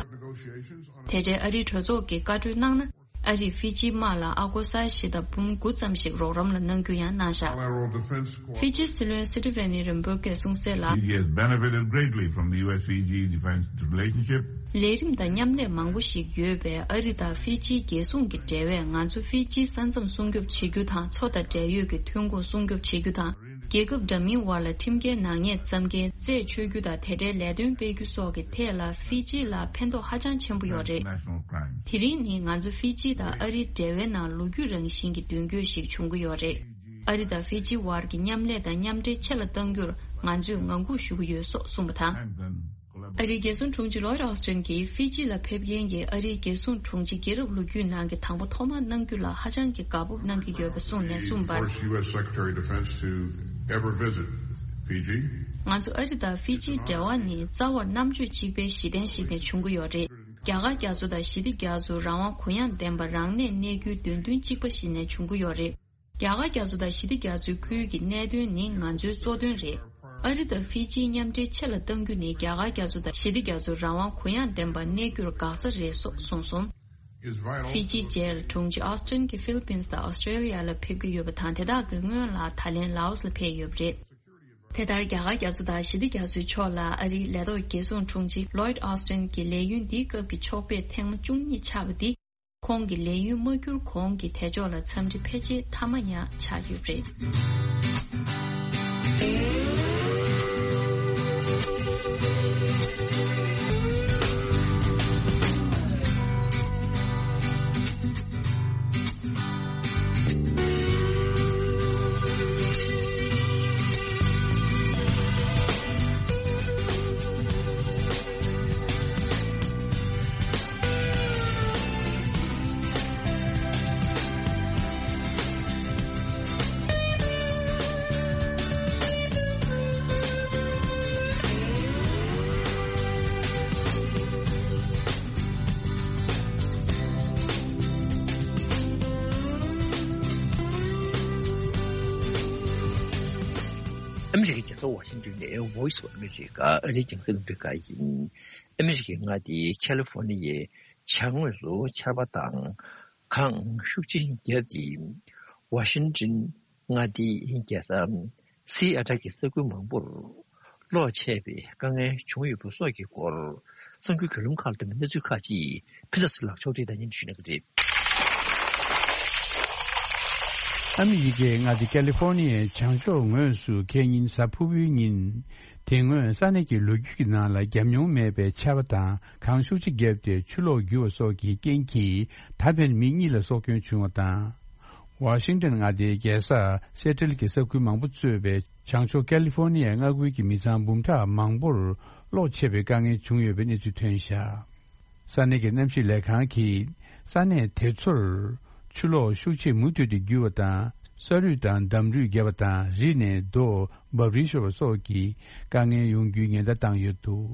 དེ་འབྲེལ་ཨ་རིའི་གྲོས་ཚོགས་ཀྱིས་བཀའ་གྲོས་གནང་ན། ཨ་རིས་ཧྥི་ཇིའི་དམག་ལ་ཨ་སྒོར་ས་ཡ་བཞི་དང་འབུམ་དགུ་ཙམ་ཞིག་རོགས་རམ་ལ་གནང་རྒྱུ་ཡང་གནང་བཞག Bilateral defense ཧྥི་ཇིའི་སྲིད་བློན་སི་ཏི་ཝེ་ནི་རིམ་པོ་སྐད་གསུངས་གསལ་ལ། Fiji has benefited greatly from the U S Fiji defense relationship. ལས་རིམ་དང་མཉམ་ལས་མང་པོ་ཞིག་ཡོད་པས་ཨ་རི་དང་ཧྥི་ཇིའི་རྒྱལ་སྲུང་གི་འབྲེལ་བས་ང་ཚོ་ཧྥི་ཇིའི་ས་མཚམས་སྲུང་སྐྱོབ་བྱེད་རྒྱུ་དང་མཚོ་དང་འབྲེལ་ཡོད་ཀྱི་ཐོན་ཁུངས་སྲུང་སྐྱོབ་བྱེད་རྒྱུ་དང་། རྒྱལ་ཁབ་འདྲ་མིན་དབར་ལ་ཁྲིམས་འགལ་ནག་ཉེས་བརྩམས་མཁན་རྩད་གཅོད་རྒྱུ་དང་དེ་འབྲེལ་ལས་དོན་སྤེལ་རྒྱུ་སོགས་ཀྱི་ཐད་ལ་ཧྥི་ཇི་ལ་ཕན་ཐོགས་ཧ་ཅང་ཆེན་པོ་ཡོད་རེད། National crime. དེ་རིང་ནི་ང་ཚོ་ཧྥི་ཇི་དང་ཨ་རིའི་འབྲེལ་བའི་ནང་ལོ་རྒྱུས་རང་བཞིན་གྱི་མདུན་སྐྱོད་ཞིག་བྱུང་གི་ཡོད་རེད། ཨ་རི་དང་ཧྥི་ཇི་བར་གྱི་མཉམ་ལས་དང་མཉམ་འབྲེལ་ཆེ་ལ་གཏང་རྒྱུར་ང་ཚོས་ངང་སྒུག་ཞུ་གི་ཡོད་སོགས་གསུངས་པ་དང་། ཨ་རིའི་རྒྱལ་སྲུང་དྲུང་ཆེ་ལོའིད་ཨོ་སི་ཏྲན་གྱིས་ཧྥི་ཇི་ལ་ཕེབས་མཁན་གྱི་ཨ་རིའི་རྒྱལ་སྲུང་དྲུང་ཆེ་རྒྱལ་རབས་ལོ་རྒྱུས་ནང་གི་དང་པོ་ཐོག་མར་གནང་རྒྱུ་ལ་ཧ་ཅང་གི་དགའ་སྤོབས་གནང་གི་ཡོད་པ་གསུངས་ནས་གསུངས་པར། First U S Secretary of Defense to ever visit Fiji. ང་ཚོ་ཨ་རི་དང་ཧྥི་ཇིའི་འབྲེལ་བ་ནི་རྩ་བར་རྣམ་དཔྱོད་གཅིག་པའི་གཞི་རྟེན་ཞིག་ནས་བྱུང་གི་ཡོད་རེད། རྒྱ་གར་རྒྱ་མཚོ་དང་ཞི་བདེ་རྒྱ་མཚོ་རང་དབང་གུ་ཡངས་ལྡན་པ་རང་གནས་གནས་རྒྱུའི་འདོད་འདུན་གཅིག་པ་ཞིག་ནས་བྱུང་གི་ཡོད་རེད། རྒྱ་གར་རྒྱ་མཚོ་དང་ཞི་བདེ་རྒྱ་མཚོའི་ཁུལ་གྱི་གནད་དོན་ནི་ང་ཚོའི་གཙོ་དོན་རེད། ཨ་རི་དང་ཧྥི་ཇིའི་མཉམ་འབྲེལ་ཆེ་ལ་གཏང་རྒྱུ་ནི་རྒྱ་གར་རྒྱ་མཚོ་དང་ཞི་བདེ་རྒྱ་མཚོ་རང་དབང་གུ་ཡངས་ལྡན་པ་གནས་རྒྱུར་འགག་རྩ་རེད་སོགས་གསུངས་སོང་། It's vital. ཧྥི་ཇིའི་རྗེས་ལ་དྲུང་ཆེ་ཨོ་སི་ཏྲན་གྱིས་ཧྥི་ལི་པིན་དང་ཨོ་སི་ཀྲེ་ལི་ཡ་ལ་ཕེབས་ཀྱི་ཡོད་པ་དང་། དེ་དག་གི་སྔོན་ལ་ད་ལན་ལའོ་སི་ལ་ཕེབས་ཡོད་པ་རེད། དེ་ལྟར་རྒྱ་གར་རྒྱ་མཚོ་དང་ཞི་བདེ་རྒྱ་མཚོའི་ཕྱོགས་ལ་ཨ་རིའི་ལས་ཐོག་རྒྱལ་སྲུང་དྲུང་ཆེ་ལོའིད་ཨོ་སི་ཏྲན་གྱི་ལས་ཡུན་འདིའི་སྐབས་ཀྱི་ཕྱོགས་ཕེབས་ཐེངས་མ་བཅུ་གཉིས་ཆགས་པ་འདི། ཁོང་གི་ལས་ཡུན་མ་འཁྱོལ་གོང་གི་དལ་འབྱོར་ལ་འཚམས་འདྲི་ཕལ་ཆེར་མཐའ་མ་ཡང་ཆགས་ཡོད་པ་རེད། ཨ་མི་རི་ཀའི་རྒྱལ་ས་ཝ་ཤིང་ཏོན་ནས་Voice of America ཨ་རིའི་རྒྱང་སྲིང་རླུང་འཕྲིན་ཁང་ཡིན། ཨ་མི་རི་ཀའི་མངའ་སྡེ་ཁ་ལི་ཧྥོ་ནི་ཡའི་བྱང་ངོས་སུ་ཆར་པ་དང་གངས་ཤུགས་ཆེན་བརྒྱབ་སྟེ། ཝ་ཤིང་ཏོན་མངའ་སྡེའི་རྒྱལ་ས་སི་ཨ་ཊལ་གྱི་ས་ཁུལ་མང་པོར་གློག་ཆད་པའི་དཀའ་ངལ་བྱུང་ཡོད་པ་སོགས་ཀྱི་སྐོར། གསར་འགྱུར་བརྒྱུད་ལམ་ཁག་དང་གནས་ཚུལ་ཁག་ཅིག་ཕུན་ཚོགས་ཚེ་ལགས་ཕྱོགས་སྒྲིག་དང་མཉམ་དུ་ཞུ་གནང་གི་རེད། ཨ་མི་རི་ཀའི་མངའ་སྡེ་ཀ་ལི་ཧྥོ་ནི་ཡའི་བྱང་ཕྱོགས་ངོས་སུ་ཁེལ་ཉིན་གཟའ་ཕུར་བུའི་ཉིན། དེ་སྔོན་ས་གནས་ཀྱི་ལོ་རྒྱུས་ཀྱི་ནང་ལ་བརྒྱབ་མྱོང་མེད་པའི་ཆར་པ་དང་གངས་ཤུགས་ཆེ་བརྒྱབ་སྟེ་ཆུ་ལོག་རྒྱུ་བ་སོགས་ཀྱི་རྐྱེན་གྱིས་ད་ཕན་མི་གཉིས་ལ་སྲོག་སྐྱོན་བྱུང་བ་དང་། ཝ་ཤིང་ཏོན་མངའ་སྡེའི་རྒྱལ་ས་སེ་ཊལ་གྱི་ས་ཁུལ་མང་པོ་གཙོས་པའི་བྱང་ཕྱོགས་ཀ་ལི་ཧྥོ་ནི་ཡའི་མངའ་ཁུལ་གྱི་མི་ཚང་འབུམ་ཕྲག་མང་པོར་གློག་ཆད་པའི་དཀའ་ངལ་བྱུང་ཡོད་པའི་གནས་ཚུལ་ཐོན་བཞག་ས་གནས་ཀྱི་གནམ་གཤིས་ལས་ཁང་གིས་ས་གནས་དེ་ཚོར་ཆུ་ལོག་ཤུགས་ཆེ་མུ་མཐུད་དུ་རྒྱུ་བ་དང་ས་རུད་དང་འདམ་རུད་བརྒྱབ་པ་དང་རི་ནས་རྡོ་འབབ་རིལ་ཤོར་བ་སོགས་ཀྱི་དཀའ་ངལ་ཡོང་རྒྱུའི་ཉེན་བརྡ་བཏང་ཡོད་འདུག་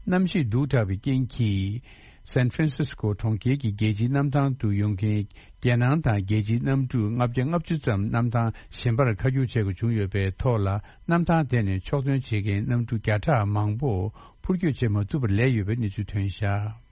གནམ་གཤིས་སྡུག་དྲགས་པའི་རྐྱེན་གྱིས། སན་ཧྥ་རན་སིས་ཀོ་གྲོང་ཁྱེར་གྱི་རྒྱལ་སྤྱིའི་གནམ་ཐང་དུ་ཡོང་མཁན་རྒྱལ་ནང་དང་རྒྱལ་སྤྱིའི་གནམ་གྲུ་ལྔ་བརྒྱ་ལྔ་བཅུ་ཙམ་གནམ་ཐང་གཞན་པར་ཁ་རྒྱུག་བྱེད་དགོས་བྱུང་ཡོད་པའི་ཐོག་ལ། གནམ་ཐང་དེ་ནས་ཕྱོགས་ཐོན་བྱེད་མཁན་གནམ་གྲུ་བརྒྱ་ཕྲག་མང་པོ་འཕུར་སྐྱོད་བྱེད་མ་ཐུབ་པར་ལས་ཡོད་པའི་གནས་ཚུལ་ཐོན་བཞག་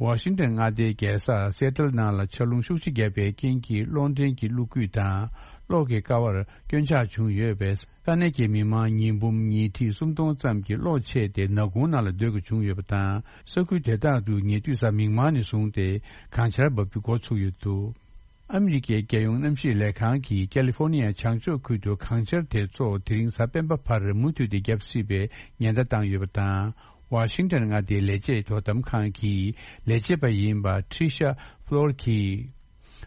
ཝ་ཤིང་ཏོན་མངའ་སྡེའི་རྒྱལ་ས་སེ་ཊལ་ནང་ལ་ཆར་རླུང་ཤུགས་ཆེ་བརྒྱབ་པའི་རྐྱེན་གྱིས་གློག་འདྲེན་གྱི་གློག་སྐུད་དང་གློག་གི་ཀ་བར་སྐྱོན་ཆག་བྱུང་ཡོད་པས། ས་གནས་ཀྱི་མི་མང་ཉིས་འབུམ་ཉིས་ཁྲི་སུམ་སྟོང་ཙམ་གྱི་གློག་ཆད་དེ་ནག་ཁུང་ནང་ལ་སྡོད་དགོས་བྱུང་ཡོད་པ་དང་། ས་ཁུལ་དེ་དག་ཏུ་ཉེ་དུས་གཟའ་མིག་དམར་ནས་བཟུང་སྟེ་གངས་ཆར་འབབ་རྒྱུ་འགོ་ཚུགས་ཡོད་འདུག་ཨ་མི་རི་ཀའི་རྒྱལ་ཡོངས་གནམ་གཤིས་ལས་ཁང་གིས་ཀ་ལི་ཧྥོ་ནི་ཡ་བྱང་ཕྱོགས་ཁུལ་དུ་གངས་ཆར་དེ་ཚོ་དེ་རིང་གཟའ་སྤེན་པ་བར་མུ་མཐུད་དེ་བརྒྱབ་སྲིད་པའི་ཉེན་བརྡ་བཏང་ཡོད་པ་དང་། ཝ་ཤིང་ཏོན་མངའ་སྡེའི་ལས་བྱེད་དོ་དམ་ཁང་གི་ལས་བྱེད་པ་ཡིན་པ་ཁྲི་ཤ་ཕློར་གྱིས།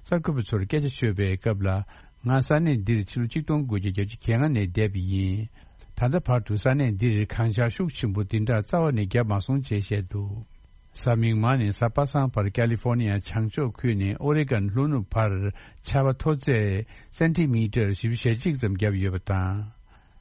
གསར་འགོད་པ་ཚོར་སྐད་ཆ་ཤོད་པའི་སྐབས་ལ། ང་ས་གནས་འདིར་ཕྱི་ལོ་ཆིག་སྟོང་དགུ་བརྒྱ་བརྒྱད་ཅུ་གྱ་ལྔ་ནས་བསྡད་པ་ཡིན། ད་ལྟ་བར་དུ་ས་གནས་འདིར་གངས་ཆར་ཤུགས་ཆེན་པོ་འདི་འདྲ་རྩ་བ་ནས་བརྒྱབ་མ་སོང་ཅེས་བཤད་འདུག་གཟའ་མིག་དམར་ནས་གཟའ་པ་སངས་བར་ཀ་ལི་ཧྥོ་ནི་ཡ་བྱང་ཕྱོགས་ཁུལ་ནས་ཨོ་རེ་གོན་ལྷོ་ནུབ་བར་ཆར་པ་མཐོ་ཚད་སེན་ཏི་མི་ཊར་བཞི་བཅུ་ཞེ་གཅིག་ཙམ་བརྒྱབ་ཡོད་པ་དང་།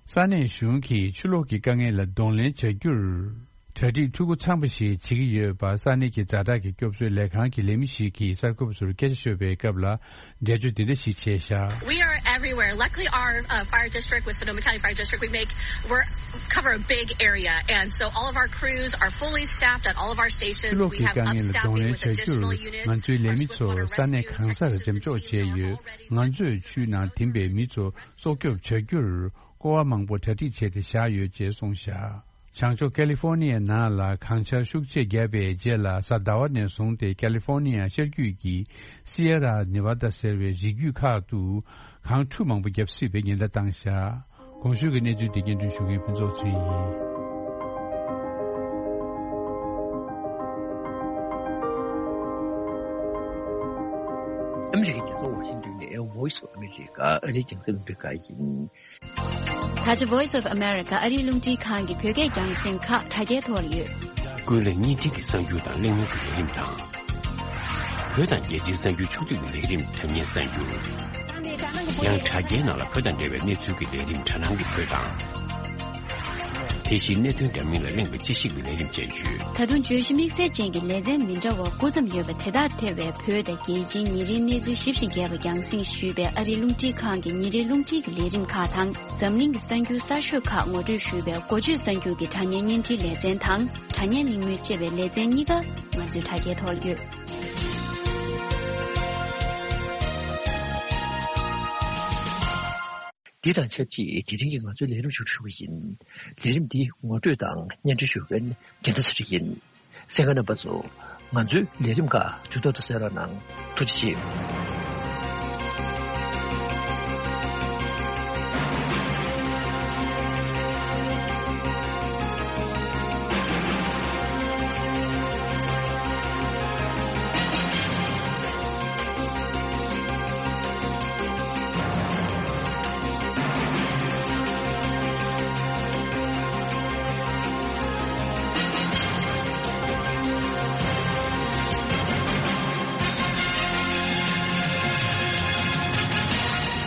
ས་གནས་གཞུང་གིས་ཆུ་ལོག་གི་དཀའ་ངལ་ལ་གདོང་ལེན་བྱ་རྒྱུར། གྲ་སྒྲིག་འཐུས་སྒོ་ཚང་བ་ཞིག་བྱེད་ཀྱི་ཡོད་པ་ས་གནས་ཀྱི་ཛ་དྲག་གི་སྐྱོབ་གསོའི་ལས་ཁང་གི་ལས་མི་ཞིག་གིས་གསར་འགོད་པ་ཚོར་སྐད་ཆ་ཤོད་པའི་སྐབས་ལ། འགྲེལ་བརྗོད་འདི་འདྲ་ཞིག་བྱས་བཞག We are everywhere. Luckily, our uh, fire district with Sonoma County Fire District, we make, we're cover a big area, and so all of our crews are fully staffed at all of our stations. We have up staffing with additional units. ཕྱི་ལོགས་ཀྱི་དཀའ་ངལ་ལ་གདོང་ལེན་བྱ་རྒྱུར་ང་ཚོའི་ལས་མི་ཚོ་ས་གནས་གང་སར་འགྲེམས་འཇོག་བྱས་ཡོད། ང་ཚོས་ཆུའི་ནང་ཐིམ་པའི་མི་ཚོ་སྲོག་སྐྱོབ་བྱ་རྒྱུར་ཀོ་བ་མང་པོ་གྲ་སྒྲིག་བྱས་ཏེ་བཞག་ཡོད་ཅེས་གསུངས་བཞག་བྱང་ཕྱོགས་ཀ་ལི་ཧྥོ་ནི་ཡའི་ནང་ལ་གངས་ཆར་ཤུགས་ཆེ་བརྒྱབ་པའི་རྗེས་ལ། གཟའ་ཟླ་བ་ནས་བཟུང་སྟེ་ཀ་ལི་ཧྥོ་ནི་ཡ་ཤར་རྒྱུད་ཀྱི་སི་ཡེ་ར་ནེ་ཝ་ད་ཟེར་བའི་རི་རྒྱུད་ཁག་ཏུ་གངས་ཁྲུ་མང་པོ་བརྒྱབ་སྲིད་པའི་ཉེན་བརྡ་བཏང་བཞག་གོང་ཞུས་ཀྱི་གནས་ཚུལ་དེ་སྙན་སྒྲོན་ཞུ་མཁན་ཕུན་ཚོགས་ཚེ་རིང་ཡིན། ཨ་མི་རི་ཀའི་རྒྱལ་ས་ཝ་ཤིང་ཏོན་ནས་Voice of America ཨ་རིའི་རྒྱང་སྲིང་རླུང་འཕྲིན་ཁང་ཡིན། ད་ཆ་Voice of America ཨ་རིའི་རླུང་འཕྲིན་ཁང་གི་བོད་སྐད་རྒྱང་སྲིང་ཁག་དྲ་རྒྱའི་ཐོག་ལ་ཡོད། ཀུན་གླེང་བརྙན་འཕྲིན་གྱི་གསར་འགྱུར་དང་གླེང་མོལ་གྱི་ལས་རིམ་དང་། བོད་དང་རྒྱལ་སྤྱིའི་གསར་འགྱུར་ཕྱོགས་བསྡུས་ཀྱི་ལས་རིམ་དྲ་བརྙན་གསར་འགྱུར། ཡང་དྲ་རྒྱའི་ནང་ལ་བོད་དང་འབྲེལ་བའི་གནས་ཚུལ་གྱི་ལས་རིམ་དྲ་སྣང་གི་བོད་དང་། དེ་བཞིན་གནད་དོན་འདྲ་མིན་ལ་གླེང་བའི་དཔྱད་ཞིབ་ཀྱི་ལས་རིམ་བཅས་ཡོད། ད་དུང་བརྗོད་གཞི་དམིགས་བསལ་ཅན་གྱི་ལེ་ཚན་མི་འདྲ་བ་དགུ་ཙམ་ཡོད་པ་དེ་དག་ཐེ་བའི་བོད་དང་རྒྱལ་སྤྱིའི་ཉིན་རེའི་གནས་ཚུལ་ཞིབ་ཅིང་རྒྱས་པ་རྒྱང་སྲིང་ཞུས་པའི་ཨ་རིའི་རླུང་འཕྲིན་ཁང་གི་ཉིན་རེའི་རླུང་འཕྲིན་གྱི་ལས་རིམ་ཁག་དང་། འཛམ་གླིང་གི་གསར་འགྱུར་གསར་ཤོས་ཁག་ངོ་སྤྲོད་ཞུས་པའི་འགོ་བརྗོད་གསར་འགྱུར་གྱི་དྲ་བརྙན་བརྙན་འཕྲིན་ལེ་ཚན་དང་། དྲ་བརྙན་གླེང་མོལ་ཅེས་པའི་ལེ་ཚན་གཉིས་ཀ་ང་ཚོའི་དྲ་རྒྱའི་ཐོག་ལ་ཡོད། འདི་དང་ཆབས་ཅིག་དེ་རིང་གི་ང་ཚོའི་ལས་རིམ་ཞུ་ཞུ་གི་ཡིན། ལས་རིམ་འདི་ངོ་སྤྲོད་དང་སྙན་སྒྲོན་ཞུ་མཁན་རྒྱལ་མཚན་ཚེ་རིང་ཡིན། གསན་མཁན་རྣམ་པ་ཚོ། ང་ཚོའི་ལས་རིམ་ཁག་དུས་ཐོག་ཏུ་གསན་རོགས་གནང་། ཐུགས་རྗེ་ཆེ།